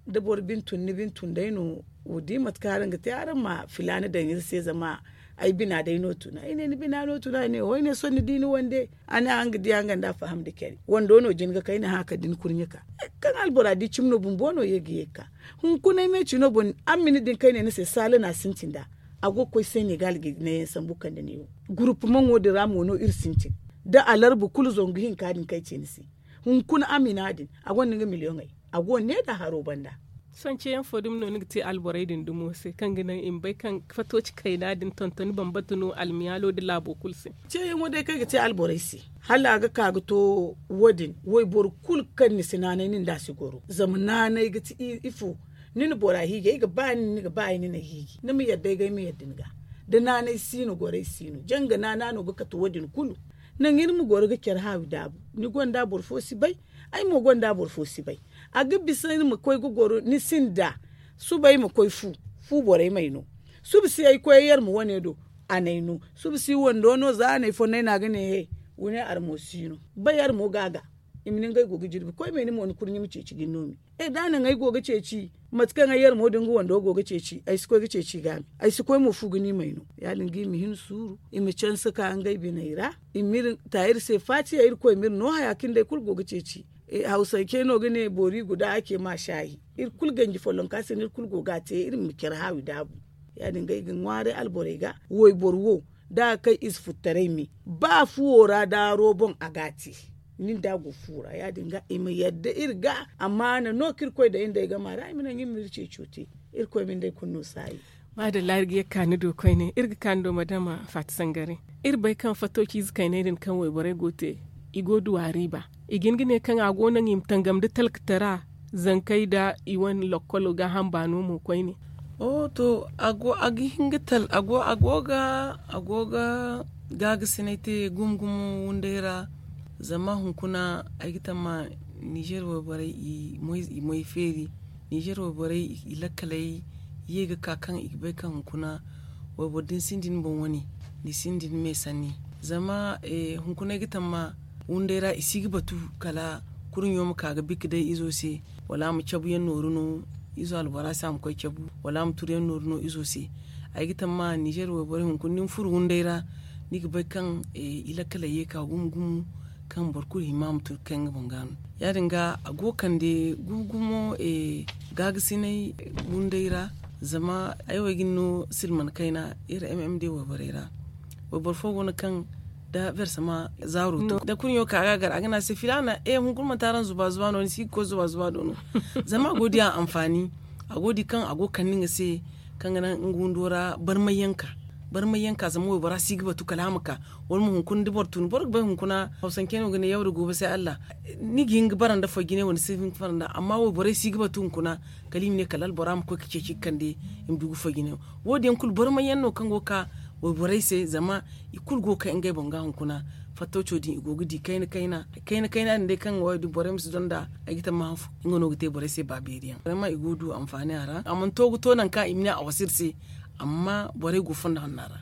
Da boro bine tun ni bine tun day no wo di mate kaŋ araŋ ga te araŋ ma filaana daŋ iri se zama ay bina day no tun ay ne ni bina no tun a ne wo ay ne sohõ ni di ni wande. A ne araŋ ga diya nga nda a faham nda care wando no jin ga kay ni hã kala da ni kurɲe ka. Kaŋ albora di cimi no bumbo no ye ga ye ga ka. Hunkuna ay me cino boŋ araŋ ma ni din kay ne ni se saala no a sintin nd'a. A go ga koy senegal ga ne yaŋ sambu kande neewo. Gurupumaŋo din ra mo no iri sintin da alarba kulu zangu hinka din kaŋ ay ce ni se. Hunkuna amina din a gonda nga miliyoŋey. A go ga ne nd'a haro banda. Sohõ ceeyaŋ fo dumi no ni ga te alborey din dumo se kaŋ ga naŋ i ma bay kaŋ fato ci kayna din tontoni bambata no almiyaalo nda laabo kulu se. Ceeyaŋo day kaŋ ay ga te alborey se hala a ga ka ga to wo- din wayboro kulu kaŋ ni si naanay nin da a si goro zama naanay ga ti ifo. Ni na bora hiiji ay ga ba nin ni ga ba ay ni na hiiji ni ma yadda ay ga ay ma yadda ni ga. Da naanay si no gorey si no janga naana no ga kate wo- din kulu. Nangu iri ma goro ga care haawi daabu. Ni gonda boro fo si bay. Ay mo gonda boro fo si bay. A ga bisa iri ma koy ga goro ni sinda. Suba ay ma koy fu fu borey may no. Suba si ay koy ay yarma wane do. A n'ay no suba si wando no za a n'ay fonnay no a ga ne he. Wune armo si no. Bay yarmo ga a ga. I ma ne ngey go ga jirbi koy me ni mo ni kurɲe ma ceeci ga ni no me. E da a naŋ ay go ga ceeci mate kaŋ ay yarmo din ga wando go ga ceeci ay si koy ga ceeci i ga a me. Ay si koy mo fu ga ni may no. Ya- din ga i ma hin suuru i ma canse ka ngey biney ra. I ma iri ta iri se faatiya iri koy ma iri no haya kaŋ day kulu go ga ceeci. Hawsancey no ga ne boori guda a ce ma shaahi. Iri kulu ganji follonka se no iri kulu go ga a te iri ma care haawi daabu. Ya- din ga ay ga ŋwaaray alborey ga wayboro wo da a ga kay ize futtaray me. Ba fuwo ra daaro boŋ a ga a te. Nin da a go fu ra ya- din ga i ma yadda iri ga. Amaana no kaŋ iri koy daŋ iri day gama ra i ma naŋ iri ma iri ceeco te. Iri koy ma ni day kulu no saayi. Maadalla iri ga ye ga ka ni do koyne iri ga ka ni do madama faati sangare. Iri bay kaŋ fattooci ize kayney din kaŋ wayborey go ga te i go ga du a riiba. I ga hin ga ne kaŋ a go naŋ i ma tangam nda talkatara zankey nda i wane lokkolo gaaham baano mo koyne. To a go ga gaagasinay te gumo gumo wunday ra. Zama hunkuna ay ga tamma nizer wayborey i moy feeri. Nizer wayborey i lakkaley ye ga ka kaŋ i ga bay kaŋ hunkuna wayboro da ni sinda ni boŋ wane ni sinda ni me sanni. Zama hunkuna ay ga tamma wunday ra i si ga batu kala kurɲo ma ka ga bikka day izo se wala a ma cabu yaŋ nooru no izo albora se a ma koy cabu wala a ma turu yaŋ nooru no izo se. Ay ga tamma nizer wayborey hunkuna da ni furo wunday ra ni ga bay kaŋ i lakkaley ye ka gumo gumo kaŋ boro kulu hima a ma turu ga kay nga boŋ ga no. Ya- din ga a go ga kande gumo gumo gaagasinay wunday ra. Zama ay wo ay ga ni no silman kayna iri mm day wayborey ra. Wayboro fo go no kaŋ da bersama zaaro to da kurɲo ka ga a gar a ga ne a se filaana hunkuna manti araŋ zuba zuba no ni si ga koy zuba zuba do no. Zama a go ga di a anfaani a go ga di kaŋ a go ga kande nga se kaŋ ga naŋ nga windo ra barmay yaŋ ka. Barmay yaŋ ka zama waybora si ga batu kala a ma ka. Wala mo hunkuna da boro tun boro ga bay hunkuna hawsancey no ga ne yaw da goobo se allah. Ni ga hin ga bara nda foy jine wala ni si hin ga bara nda amma wayborey si ga batu hunkuna kala i ma ne kala albora ma koy ga ceeci ga kande i ma du ga foy jine. Wo- din yaŋ kulu barmay yaŋ no kaŋ go ga ka wayborey se zama i kulu go ga kay ngey boŋ ga hunkuna. Fattooco din i go ga di kayna kayna kayna kayna din day kaŋ ga wo- din borey ma si donda ay ga tamma hanfo nga no ga te borey se ba beeri yaŋ zama i go ga du anfaani a ra a mana to ga to nangu kaŋ i ma ne a wasa iri se. Amma borey go fondo hanna ra.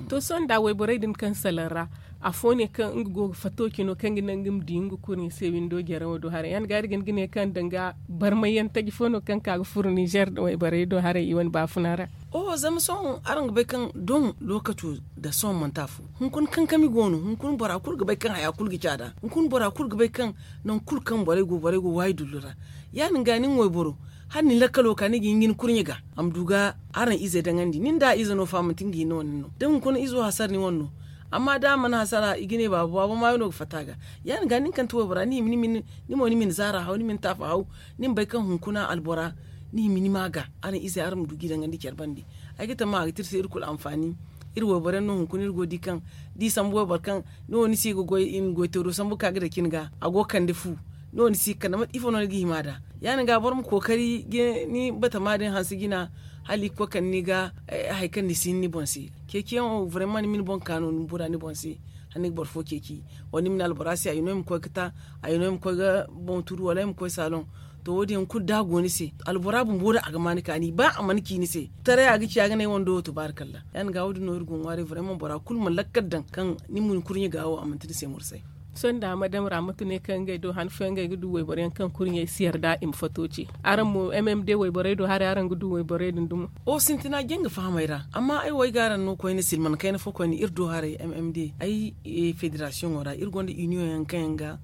To sohõ nda wayborey din kaŋ salaŋ ra afo ne kaŋ nga go ga fattooci no kaŋ ga naŋ ga ma di nga kurɲe se windo jaraŋo do haray ya- din ga iri ga hin ga ne kaŋ danga barmay yaŋ taji fo no kaŋ ka ga furo nizer wayborey do haray i wane baafuna ra. Oho zama sohõ araŋ ga bay kaŋ doŋ lookaco nda sohõ manti afo. Hunkuna kankami go no hunkuna bora kulu ga bay kaŋ haya kulu ga caada hunkuna bora kulu ga bay kaŋ nangu kulu kaŋ borey go borey go waayi dullu ra. Ya- din ga nin wayboro hala ni lakkalo ka ni ga hin ga ni kurɲe ga a ma du ga araŋ ize daŋandi nin da a ize no fa manti nga hinne wane no da hunkuna izo hasara ni wane no. Amma da a mana hasara i ga ne baabo baabo maayo no ga fatta ga. Ya- din ga nin kaŋ ti waybora ni hima ni ma ni zaara haw ni ma ni taafa haw ni ma bay kaŋ hunkuna albora ni hima ni ma ga. Araŋ ize araŋ ma du ga i daŋandi care bande. Ay ga tamma a ga te iri se iri kulu anfaani. Iri wayboro yaŋ no hunkuna iri go ga di kaŋ da i sambu wayboro kaŋ ni wo ni si ga goy i ma goy teero sambu ga ka ga daci ni ga a go ga kande fu. Ni wo ni si ga kande mate ifo no ni ga hima nd'a? Ya- din ga boro ma kookari ga ni batama din hanse jina hala i ga koy kande ni ga. Hari kaŋ ni si hin ni boŋ se ceeci yaŋ wo burema ni ma ni boŋ ka no ni bura ni boŋ se. Hala ni ga boro fo ceeci wala ni ma ne albora se ay no ay ma koy ga ta ay no ay ma koy ga boŋ turu wala ay ma koy saaloŋ. To wo- din yaŋ kulu da a go ni se albora bumbo din a ga ma ni kaani ba a mana ci ni se taray a ga ci a ga ne ay wando wo tubaari kalla. Ya- din ga wo- din no iri go ga ŋwaaray burema bora kulu ma lakkal daŋ kaŋ ni ma ni kurɲe ga wo a manti ni se mursay. Sohõ nda madam ra mate ne kaŋ ngey do han fooyaŋ ngey ga du wayboro yaŋ kaŋ kurɲey si yarda i ma fato ce araŋ mo mm day wayborey do haray araŋ ga du wayborey din dumo? O sintina janga fahamey ra amma ay wo ay ga araŋ no koyne silman kayna fo koyne iri do haray mm day ay federasiyoŋo ra iri gonda iniyoŋ yaŋ kaŋ yaŋ ga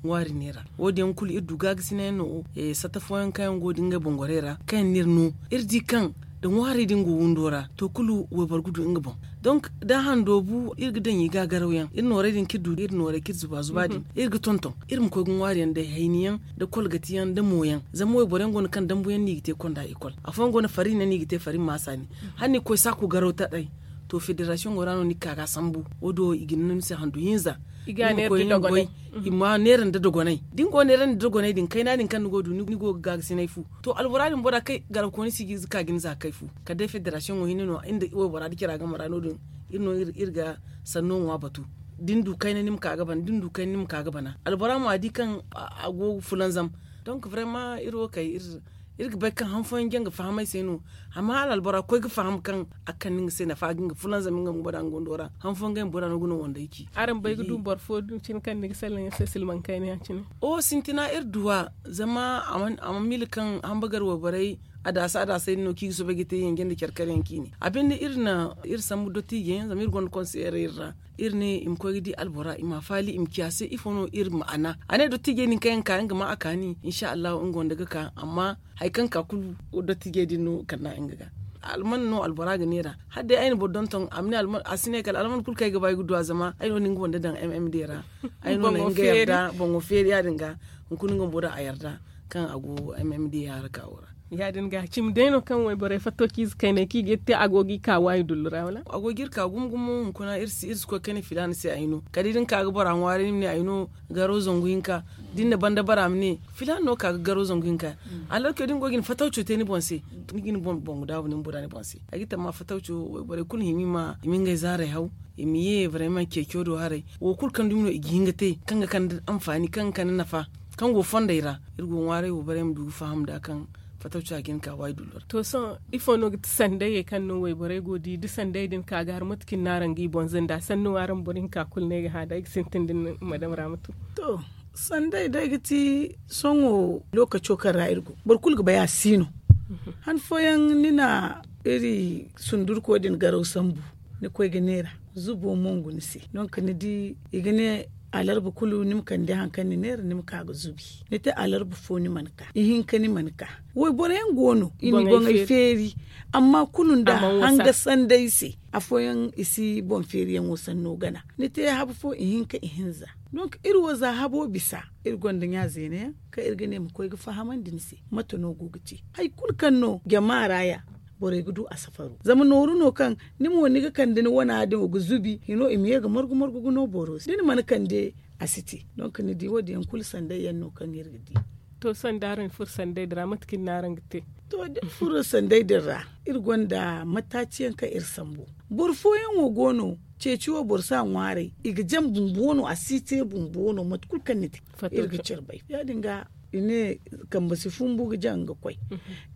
ŋwaari neera wo- din yaŋ kulu iri du gaagasinay yaŋ no. Satta fooyaŋ kaŋ yaŋ go da ngey boŋ gorey ra kaŋ yaŋ no iri no iri di kaŋ da ŋwaari din go windo ra to kulu wayboro ga du nga boŋ. Donk da hando bu iri ga daŋ i ga garaw yaŋ iri noorey din kaŋ iri du iri noorey kaŋ iri zuba zuba din iri ga tonton iri ma koy ga ŋwaari yaŋ day hayni yaŋ da kolgati yaŋ da mo yaŋ zama wayboro yaŋ go no kaŋ dambu yaŋ no i ga te konda ikol afooyaŋ go no fari no i ga te fari maasa ne. Hala ni ga koy saako garaw taray to federasiyoŋo ra no ni ga ka ga a sambu wo- din wo i ga ni no ni se handu hinza. I ma neera nda dogonay da ni go neera nda dogonay din kayna din kaŋ ni go ga du ni go ga gaagasinay fu. To albora din bora kaŋ garakooni si ga ka ga ni za ga kay fu kala day federasiyoŋo hinne no waybora da cira game ra no- din iri no iri ga sanno ŋwa batu. da ni du kayna ni ma ka ga bana da ni du kayna ni ma ka ga bana albora mo a di kaŋ a go fulanzam. Donk barema iri wo kay iri ga bay kaŋ han fooyaŋ jaŋ ga faham ay se no. Amma hala albora koy ga faham kaŋ a ga kande nga se nafa ga nga fulanzam nga bumbo da nga wando ra han fooyaŋ ga ay ma bora no ga no wandey ci. Araŋ bay ga du boro fo din cine kaŋ ni ga salaŋ yaŋ se silmaŋ kayna ya cine. O sintina iri duwa zama a mana miila kaŋ hamba gar wayborey adaasa adaasey din no kaŋ i ga soobay ga te yanje nda care kare yaŋ kaŋ i ne a binde iri na iri sambu dottiijey yaŋ zama iri gonda konseyeerey iri ra. Iri ne i ma koy ga di albora i ma a faali i ma ci a se ifo no iri ma'ana a ne dottiijey din kaŋ yaŋ ga ka nga ma a kaani insa allahu nga wande ga ka amma hari kaŋ ga ka kulu dottiijey din no kand'a nga ga. Alman no albora ga neera hala day ay na boro donton a ma ne a si ne kala alman kulu kaŋ ay ga ba ay ga du a zama ay no na nga wande daŋ m m d ra. Ay no na nga yarda boŋo feeri ya- din ga hunkuna nga bumbo daŋ a yarda kaŋ a go m m d haraka wo ra. Ya- din ga cimi day no kaŋ wayborey fattociize kayney kaŋ i ga iri te a go ga i ka waayi dullu ra wala a go ga iri ka gumo gumo hunkuna iri si koy kayna filaana se ay no kala da ni ka ga bora ŋwaaray ni ma ne ay no garo zangu hinka. Da ni na banda bara ma ne filaana no ka ga garo zangu hinka. Alorke da ni go ga ni fatawco te ni boŋ se ni ga ni boŋ daabu ni ma bura ni boŋ se. Ay ga tamma fatawco wayborey kulu hima i ma ngey zaaray haw i ma ye barayma ceeco do haray wo kulu kaŋ dumi no i ga hin ga te kaŋ ga kande anfaani kaŋ ga kande nafa kaŋ go fondey ra. Iri go ŋwaaray wo barayma du ga faham nd'a kaŋ fatawco a ga hin ka waayi dullu ra. To sohõ ifo no ga ti sandayey kaŋ no wayborey go ga di da sandayey din ka ga har mate kaŋ i na araŋ ga i boŋ zanda sanni wo araŋ boro hinka kulu no ay ga hã da ay ga sintin da ni madam ra ma tun. To sanday day ga ti sohõ lookaco kaŋ ra iri go boro kulu ga bay a si no. Han fooyaŋ ni na iri sundurko din garaw sambu ni koy ga neera zubo mongu ni se. Donk ni di i ga ne alarba kulu ni ma kande hari kaŋ ni neera ni ma ka ga zubi. Ni te alarba fo ni mana ka ihinka ni mana ka. Wayboro yaŋ go no i na i boŋey feeri amma kulu nda hanga sanday se afooyaŋ i si boŋ feeriyaŋo sanno gana. Ni te habu fo ihinka ihinza. Donk iri wo za habo bisa iri gonda ɲa zeena yaŋ kaŋ iri ga ne ma koy ga fahamandi ni se mate no go ga te hari kulu kaŋ no jama ra ya borey ga du a safaro zama nooru no kaŋ ni mo ni ga kande ni wana din ga zubi hino i ma ye ga margu margu ga no boro se da ni mana kande a si te. Donk ni di wo- din yaŋ kulu sanday yaŋ no kaŋ iri ga di. To sohõ da araŋ furo sanday din ra mate kaŋ i na araŋ ga te? To da iri furo sanday din ra iri gonda mataaci yaŋ kaŋ iri sambu. Boro fooyaŋo go no ceeci wo boro si a ŋwaaray i ga jaŋ bumbo no a si te bumbo no mate kulu kaŋ ni te iri ga care bay ya- din ga i ne kambe si fumbu ga jaŋ ga koy.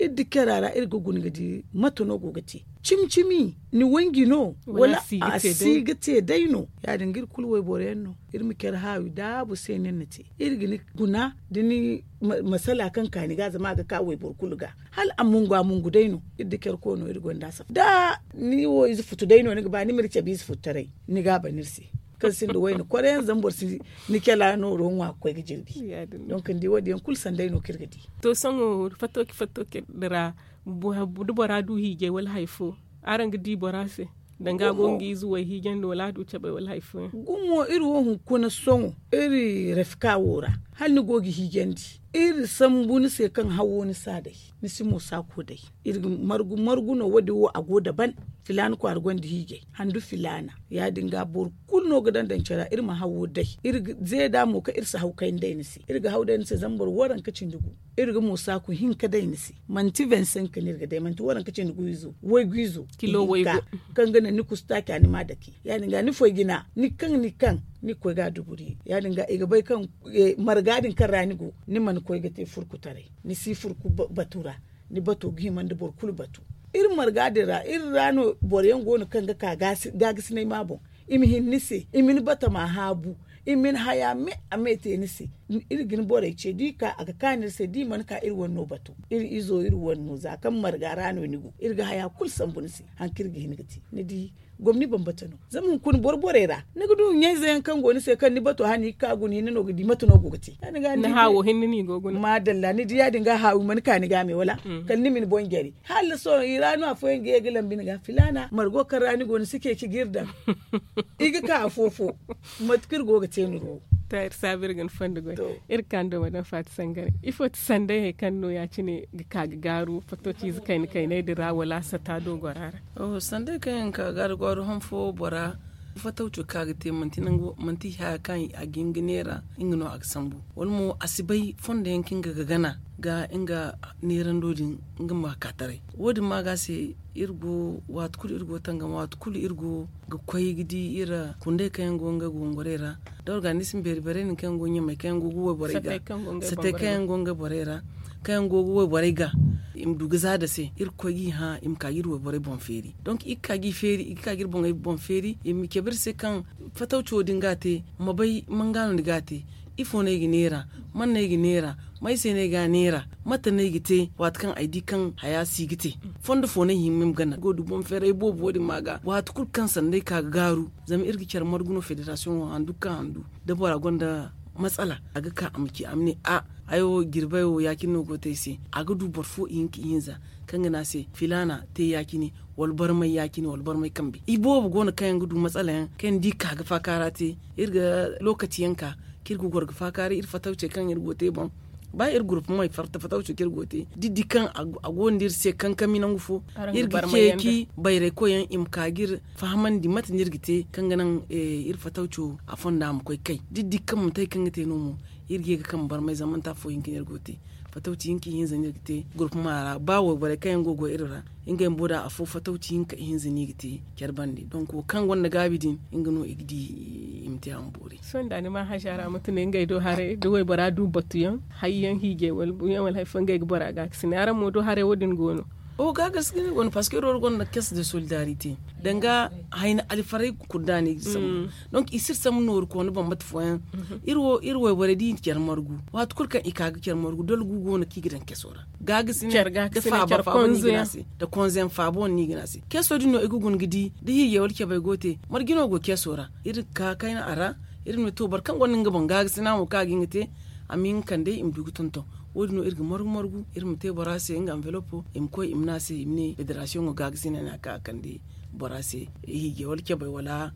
Iri da care a ra iri ga guna ga di mate no go ga te cimi cimi ni wanji no wala a si ga te day no? Ya- din ga iri kulu wayboro yaŋ no iri ma care haawi daabu se no iri na te iri ga ni guna da ni masala kaŋ ka ni ga zama a ga ka wayboro kulu ga hala a mungu a mungu day no. Iri da care koono iri gonda a safa da ni wo ize futu day no ni ga ba ni ma iri cabe ize futtaray ni ga a ban iri se kaŋ sinda wayne kore yaŋ zama boro si ni care a nooro ŋwa ga koy ga jirbi. Donk ni di wo- din yaŋ kulu sanday no kaŋ iri ga di. To sohõ fattoci fattoci din ra da bora du hiijay wala hari fo araŋ ga di bora se danga a go nga ize wo hiijandi wala a du cabay wala hari fooyaŋ? Gumo iri wo hunkuna sohõ iri rafika wo ra hala ni go ga hiijandi iri sambu ni se kaŋ hawo ni si a day ni si mo saako day. Iri ga margu margu no wo- din wo a go daban filaana kwaara gonda hiijay handu filaana ya- din ga boro kulu no ga daŋ daŋ care ra iri ma hawo day iri ga zeeda mo kaŋ iri si haw kayna day ni se iri ga haw day ni se zama boro waranka cindi gu iri ga mo saaku hinka day ni se. Manti vingt cinq no iri ga day manti waranka cindi gu izo waygu izo kilo waygu kaŋ ga naŋ ni kusu taaca ni ma a dake ya- din ga ni foy jina ni kaŋ ni kaŋ ni ga koy ga a duburi ya- din ga i ga bay kaŋ marga din kaŋ ra ni go ni mana koy ga te furkutaray ni si furku batu ra. Ni bato ga hima nda boro kulu batu iri marga din ra iri ra no boro yaŋ go no kaŋ ga ka gaagasinay ma boŋ i ma hin ni se i ma ni batama haabu i ma ni haya me a me te ni se. Iri ga ni borey ce da i ka a ga kaanu iri se da i mana ka iri wane no batu iri izo iri wane no za kaŋ marga ra no ni go iri ga haya kulu sambu ni se. Hari kaŋ iri ga hin ga te ni di gomni bambata no zama hunkuna boro borey ra ni ga du ɲayze yaŋ kaŋ go ni se kaŋ ni bato hala ni ga ka guna hinne no ga di mate no go ga te. Ni haawo hinne no i go guna madalla ni di ya- din ga haawi mana ka ni ga me wala kala ni ma ni boŋ jare hala sohõ i ra no afooyaŋ ga ye ga lambi ni ga filaana margo kaŋ ra ni go ni si ceeci ga iri daŋ i ga ka afo fo. Mate kaŋ iri go ga te no iri wo. To iri saabu iri ga ni fondo goy iri ga ka ni do madame faati sangare ifo ti sanday hari kaŋ no ya- cine ga ka ga gaaru fattociize kayna kaynay din ra wala a sata do gora ra? Sanday kaŋ yaŋ ga ka ga gaaru goro han fo bora Fatawco kaŋ a ga te manti haya kaŋ a ga hin ga neera nga no a ga sambu, wala mo a si bay fondo yaŋ kaŋ nga ga gana ga nga neerando din, nga ma ka taray. Wo- din ma ga se iri go waati kulu iri go tangam waati kulu iri go ga koy ga di iri kundey kaŋ yaŋ go nga go ngorey ra, da organisim beeri beerey din kaŋ yaŋ go ɲamey kaŋ yaŋ go ga wayborey ga satey kaŋ yaŋ go nga borey ra, kaŋ yaŋ go ga wayborey ga i ma du ga zaada se iri ga koy ga i hã i ma ka ga iri wayborey boŋ feeri. Donk iri ga ka ga iri boŋey boŋ feeri i ma cabe iri se kaŋ fatawco din ga a te ma bay manga no ni ga a te. Ifo no ay ga neera? Man no ay ga neera? May se no ay ga a neera? Mate no ay ga te waati kaŋ ay di kaŋ haya si ga te? Fondo fo no ay hima ay ma gana go du boŋ feeray boobo wo- din ma ga waati kulu kaŋ sanda ay ka ga gaaru zama iri ga care margu no federasiyoŋo handu kaŋ handu da bora gonda matsala a ga ka a ma ci a ma ne a ay wo jirbay wo ya- cine no go ga te ay se. A ga du boro fo ihinka ihinza kaŋ ga ne a se filaana te ya- cine wala barmay ya- cine wala barmay kambe i boobo go no kaŋ yaŋ ga du matsala yaŋ kaŋ yaŋ da i ka ga faakaara te iri ga lookaci yaŋ ka kaŋ iri ga goro ga faakaaray iri fatawcey kaŋ iri go ga te boŋ. Ba iri gurupumey fatta fatawco kaŋ iri go ga te da i di kaŋ a go nda iri se kankami nangu fo iri ga ceeci bayraykoy yaŋ i ma ka ga iri fahamandi mate no iri ga te kaŋ ga naŋ iri fatawco a fonda ma koy kay da i di kaŋ manti hari kaŋ ga te no mo iri ga ye ga kambe barmay zama manti afo hinka no iri go ga te. Fatawci hinka ihinza no iri ga te gurpuma ra ba wayborey kaŋ yaŋ go ga goy iri ra ngey bumbo da afo fatawci hinka ihinza no i ga te care bande donk wo kaŋ gonda gaabi din nga no i ga di i ma te a ma boori. Sohõ da ni ma haja ra mate no ngey do haray da waybora du batuyaŋ hayyaŋ hiijay wala buuyaŋ wala hari fo ngey ga bora gaakasinay araŋ mo do haray wo- din go no? Oho gaakasinay go no parceque iri wo iri gonda caisse de solidarité danga hayna alfaray kulu da no i ga sambu. Donk i si iri sambu nooru koona bambata fooyaŋ iri wo iri wayborey da i na care margu waati kulu kaŋ i ka ga care margu dole gu go no kaŋ i ga daŋ keso ra. Gaagasinay da faaba faaba no i ga ne a se da konzeyaŋ faaba wane no i ga ne a se keso din no i ga guna ga di da hiijay wala cabay go ga te marje no go keso ra iri ga ka kayna a ra. Iri ma ne to boro kaŋ gonda nga boŋ gaagasinay mo kaŋ a ga hin ga te a ma hin ga kande i ma du ga tonton. Wo- din no iri ga margu margu iri ma te bora se nga anvelopo i ma koy i ma ne a se i ma ne federasiyoŋo gaagasinay no a ka a kande bora se hiijay wala cabay wala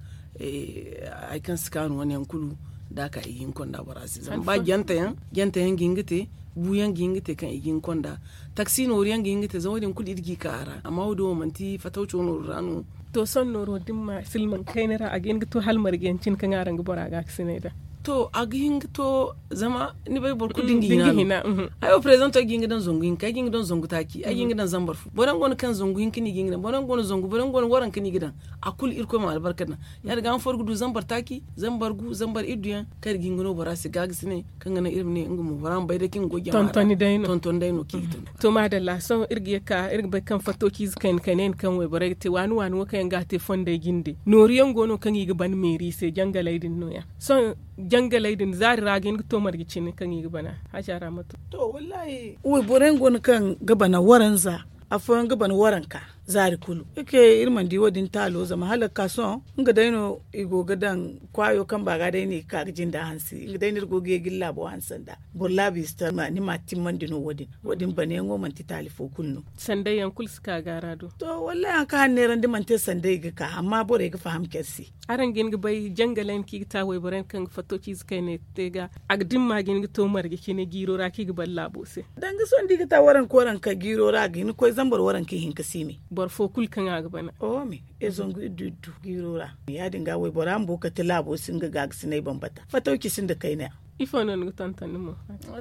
hari kaŋ si kaanu wane yaŋ kulu da a ka i ga hin ga konda bora se zama ba jante yaŋ jante yaŋ ga hin ga te buuyaŋ ga hin ga te kaŋ i ga hin ga konda taksi nooru yaŋ ga hin ga te zama wo- din kulu iri ga i ka a ra amma wo- din wo manti fatawco nooru ra no. To sohõ nooro da ni ma silmaŋ kayna ra a ga hin ga to hala marje yaŋ cine kaŋ araŋ ga bora gaakasinay nd'a? To a ga hin ga to zama ni bay boro kulu da nga hina no. Ay wo preezanto ay ga hin ga daŋ zangu hinka ay ga hin ga daŋ zangu taaci ay ga hin ga daŋ zambar fo boro yaŋ go no kaŋ zangu hinka no i ga hin ga daŋ boro yaŋ go no zangu boro yaŋ go no waranka no i ga daŋ. A kulu irkoy ma albarka daŋ ya- din ga han fo iri ga du zambar taaci zambar gu zambar iddu yaŋ kaŋ iri ga hin ga no bora se gaagasinay kaŋ ga naŋ iri ma ne nga mo bora ma bay day kaŋ ga goy jama ra tontoni day no kaŋ i ga tonton. To maadalla sohõ iri ga ye ga ka iri ga bay kaŋ fattociize kayna kayna yaŋ kaŋ wayborey ga te waani waani wo kaŋ yaŋ ga a te fonday jinde nooru yaŋ go no kaŋ i ga ban meeri se jangaley din no- ya sohõ jangaley din zaari ra a ga hin ga to marje cine kaŋ i ga bana? Haja ra ma to. To wallaahi wayborey yaŋ go no kaŋ ga bana waranza afooyaŋ ga bana waranka zaari kulu. Iri mana di wo- din taalo zama hala ga ka sohõ nga day no i go ga daŋ kwaayo kamba ga day no i ga ka ga jinda hansi nga day no iri go ga ye ga iri laabo hanse nd'a. Boro laabu i si ta ni ma a timmandi no wo- din wo- din banayaŋo manti taali fo kulu no. Sanday yaŋ kulu si ka ga a ra do. To wallaahi hari kaŋ a neerandi mana te sanday ga ka amma borey ga faham care se. Araŋ ga hin ga bay jangaley no kaŋ i ga ta wayborey no kaŋ ga fattociize kayney te ga a ga dimma ga hin ga to marje cine jiiro ra kaŋ i ga bala laabo se. Danga sohõ da i ga ta waranka waranka jiiro ra a ga hin ga koy zambar waranka ihinka si me. Boro fo kulu kaŋ a ga bana. Oho me iri zangu iddu iddu jiiro ra. Ya- din ga waybora bumbo kate laabo si nga gaagasinay bambata fatawci sinda kayna. Ifo no ni ga tonton ni mo?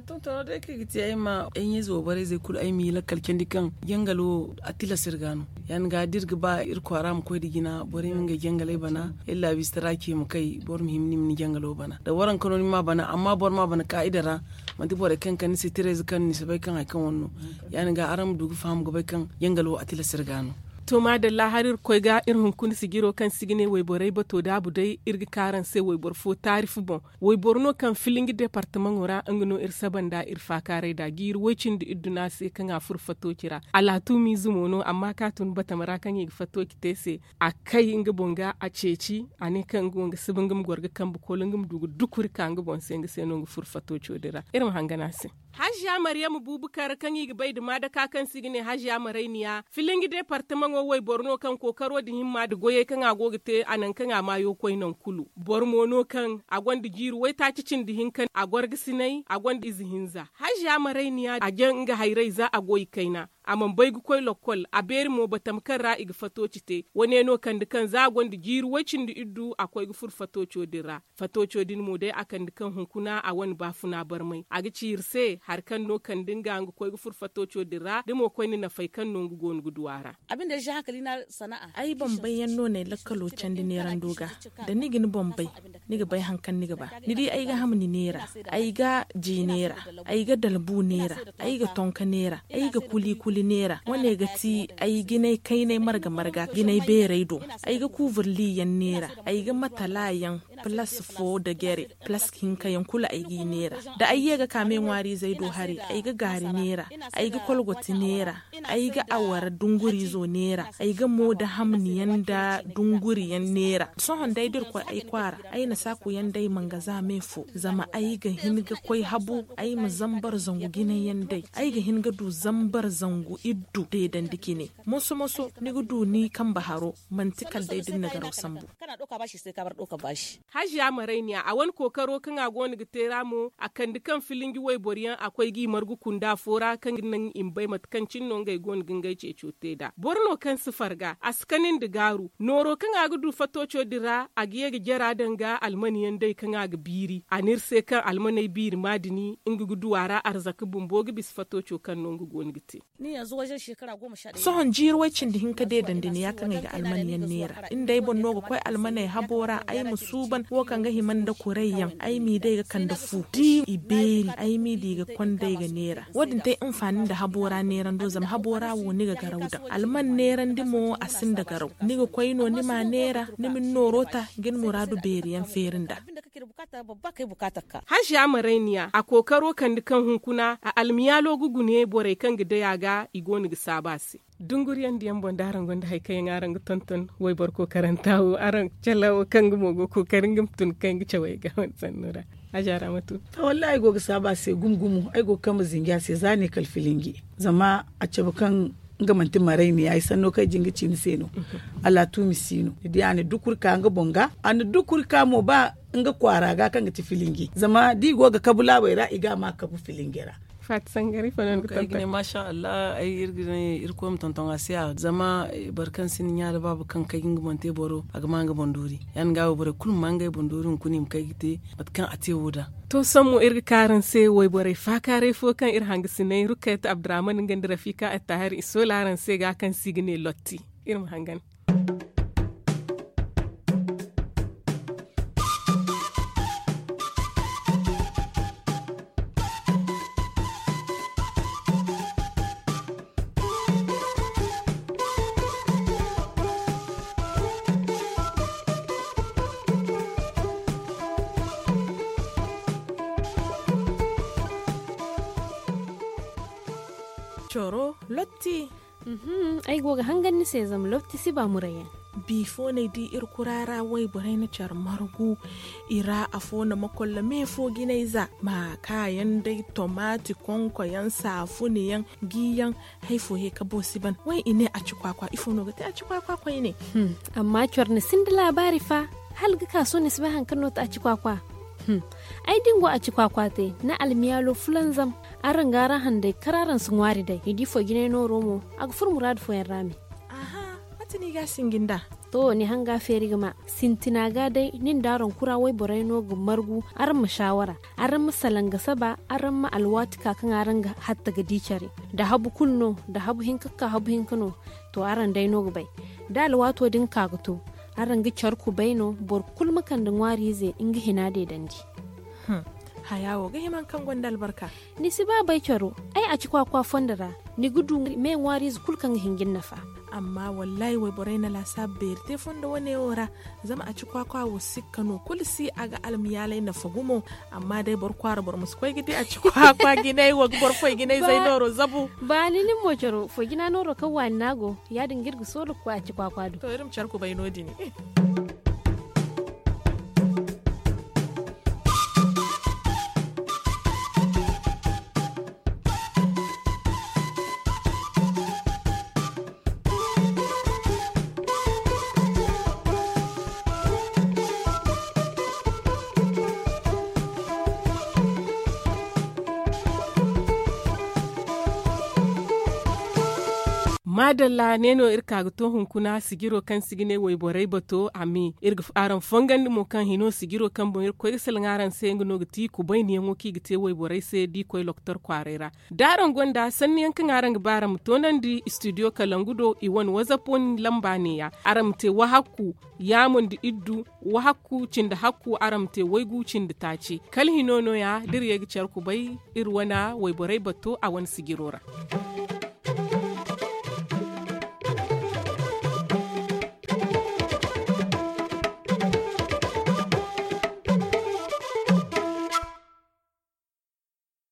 Tontono day kaŋ i ga te ay ma ay ɲayze wayborey zey kulu ay ma i lakkal candi kaŋ jangalo a tilas iri ga no. Ya- din ga da iri ga ba iri kwaara ma koy nda jina borey ma ngey jangaley bana iri laabiistara ce ma kay boro ma hima ni ma ni jangalo bana da waranka no ni ma a bana amma boro ma a bana kaa'ida ra. Manti borey kaŋ ga kande ni se tirayze kaŋ ni si bay kaŋ hari kaŋ wane no. Ya- din ga araŋ ma du ga faham ga bay kaŋ jangalo a tilas iri ga no. To maadalla hari iri ga koy ga iri hunkuna sijiro kaŋ se i ga ne wayborey bato daabu day iri ga ka araŋ se wayboro fo taarifu boŋ. Wayboro no kaŋ filinji departamaŋo ra nga no iri saba nd'a iri faakaaray nd'a jiiri woy-cindi iddu no a se kaŋ a furo fattooci ra. Alaatumiize mo no amma kaŋ a tun batama ra kaŋ i ga fattooci te se a kay nga boŋ ga a ceeci a ne kaŋ nga wo nga siba nga ma goro ga kambe koolo nga ma du ga dukuri ka nga boŋ se nga se no nga furo fattooco din ra. Iri ma hangan a se. Hajiya mariyama buubu kar kaŋ i ga bay nda maadaka kaŋ se i ga ne hajiya marayniya filinji departamaŋo wayboro no kaŋ kookaro nda himma nda goyey kaŋ a go ga te a naŋ kaŋ a maayo koy naŋ kulu. Boro mo no kaŋ a gonda jiiri waytaaci cindi hinka a gorgasinay a gonda ize hinza hajiya marayniya a jaŋ nga hayray za a go i kayna. a mana bay ga koy lokkol a beeri mo batama kaŋ ra i ga fatooci te. Wane no kande kaŋ za a gonda jiiri way-cindi iddu a koy ga furo fatooco din ra. Fatooco din mo day a kande kaŋ hunkuna a wane baafuna barmay a ga ci iri se hari kaŋ no kande nga nga koy ga furo fatooco din ra da mo koyne nafay kaŋ no nga go no ga du a ra. Ay bambay yaŋ no no ay lakkalo candi neerando ga. Da ni ga ni bambay ni ga bay hari kaŋ ni ga ba. Ni di ay ga hamni neera, ay ga ji neera, ay ga dalbu neera, ay ga tonka neera, ay ga kuli kuli neera. Wane ga ti ay ga ni ay kaynay marga marga ga ni ay beeray do. Ay ga kuuburli yaŋ neera, ay ga matala yaŋ, palas fo nda jere, palas hinka yaŋ kulu ay g'i neera. Da ay ye ga ka me ŋwaariizey do hari, ay ga gaari neera, ay ga kolgoti neera, ay ga awara dunguriizo neera, ay ga mo nda hamni yaŋ nda dunguri yaŋ neera. Sohõ day da iri koy ay kwaara, ay na saaku yaŋ day mangaza me fo zama ay ga hin ga koy habu. Ay ma zambar zangu jinay yaŋ day, ay ga hin ga du zambar zangu iddu deedandi cine. Moso moso ni ga du ni kambe haro, manti kala day da ni na garaw sambu. Hajiya marayniya a wane kookaro kaŋ a go no ga te ra mo a kande kaŋ filinji wayboro yaŋ a koy g'i margu kunda fo ra kaŋ ga naŋ i ma bay mate kaŋ cine no ngey go no ga ngey ceeco te nd'a. Boro no kaŋ si farga a si kani nda gaaru nooro kaŋ a ga du fatooco din ra a ga ye ga jara daŋ ga almani yaŋ day kaŋ a ga biiri a ne iri se kaŋ almaney biiri maadini nga ga du a ra arzaka bumbo ga bisa fatooco kaŋ no nga go no ga te. Sohõ jiiri way cindi hinka deedandi ne ya kaŋ ay ga alman yaŋ neera. Ni nda ay boŋ no ga koy almaney habo ra ay ma suuban wo kaŋ ga hima nda kuray yaŋ ay m'i day ga kande fu da i beeri ay m'i di ga konda ay ga neera. Wo- din te hinfaani nda habo ra neerando zama habo ra wo ni ga garaw daŋ alman neerandi mo a sinda garaw. Ni ga koy no ni m'a neera ni ma ni nooro ta ga ni muraadu beeri yaŋ feeri nd'a. Haziya marayniya a kookaro kande kaŋ hunkuna a almiyaalo ga gune borey kaŋ ga day a ga i go no ga saabu a se. Dunguriyaŋ diyaŋ boŋ da araŋ gonda hari kaŋ yaŋ araŋ ga tonton wayboro kookaranta wo araŋ cala wo kaŋ nga mo go kookari nga ma tun kaŋ ga cawey ga wane sanno ra. Haziya ra ma tu. To wallaahi ay go ga saabu a se gumo gumo ay go ga kambe zinji a se za ne kala filinji. Zama a cabe kaŋ nga manti marayniya ay sanno kaŋ ay jin ga ci ni se no. Alaatuumi si no ni di a na dukuri ka nga boŋ ga a na dukuri ka mo ba nga kwaara ga kaŋ ga ti filinji zama da i go ga kabu laabey ra i ga a ma kabu filinji ra. Faati sangari fo no ni ga tonton? Masha allah ay iri ga ne irkoy ma tonton a se a zama boro kaŋ sinda ɲa da baaba kaŋ kay ga nga boŋ te boro a ga ma nga boŋ doori. Ya- din ga wo borey kulu ma ma ngey boŋ doori hunkuna i ma kay ga te mate kaŋ a te wo da. To sammo iri ga ka araŋ se wayborey faakaaray fo kaŋ iri hangasinay rukkayat abdurrahman nga nda rafika attahir i soola araŋ se ga kaŋ se i ga ne lotti. Iri ma hangan. Coro lotti. Ay go ga hangan ni se zama lotti si ba muray yaŋ. Bifo no ay di iri kura ra wayborey na care margu i ra afo na makolla me fo jinay za ma kaayaŋ day tomaati konkoyaŋ saafuniyaŋ giyaŋ. Hari fo he ka bo si ban way i ne a ci kwaakwa ifo no ga te a ci kwaakwa koyne? Amma care ni sinda laabaari fa hala ga ka sohõ ni si bay hari kaŋ no ti a ci kwaakwa. Ay din go a ci kwaakwa te ni almiyaalo fulanzam. Araŋ ga araŋ handay kar araŋ si ŋwaari day ni di foy jinay nooro mo a ga furo muraadu fooyaŋ ra me. Mate no i ga a sinji nd'a? To ni hanga feeri ga ma sintina ga day nin da araŋ kura wayborey no ga margu. Araŋ ma saawara araŋ ma salaŋ ga saba araŋ ma alwaati ka kaŋ araŋ ga hatta ga di care. Da habu kulu no da habu hinka ga ka habu hinka no. To araŋ day no ga bay da alwaato din ka ga to araŋ ga care kubay no boro kulu ma kande ŋwaariize nga hina deedandi. Haya wo ga hima hari kaŋ gonda albarka. Ni si ba bay caro ay a ci kwaakwa fondo ra. Ni ga du me ŋwaariize kulu kaŋ ga hin ga ni nafa. Amma wallaahi wayborey na laasaabu beeri te fondo wane wo ra. Zama a ci kwaakwa wo sikka no kulu si a ga almiyaalay nafa gumo. Amma day boro kwaara boro ma si koy ga di a ci kwaakwa jinay wo ga boro foy jinay zay nooro zabu. Ba ni nin mo caro foy jina nooro kaŋ waani no a go. Ya- din ga iri ga soola ga koy a ci kwaakwa do. To iri ma care kubay no- din. Maadalla, ne no iri ka ga to hunkuna sijiro kaŋ se i ga ne wayborey bato a me. Iri ga araŋ fongandi mo kaŋ hino sijiro kaŋ boŋ iri ga koy ga salaŋ araŋ se nga no ga ti kubayniyaŋo kaŋ i ga te wayborey se da i koy loktor kwaaray ra. Da araŋ gonda sanniyaŋ kaŋ araŋ ga ba araŋ ma toonandi istidiyo kalangu do i wane wazap wane lamba neeya. Araŋ ma te wahakku yaamu nda iddu wahakku cindi hakku araŋ ma te waygu cindi taaci. Kala hino no- ya da iri ye ga care kubay iri wane wayborey bato a wane sijiro ra.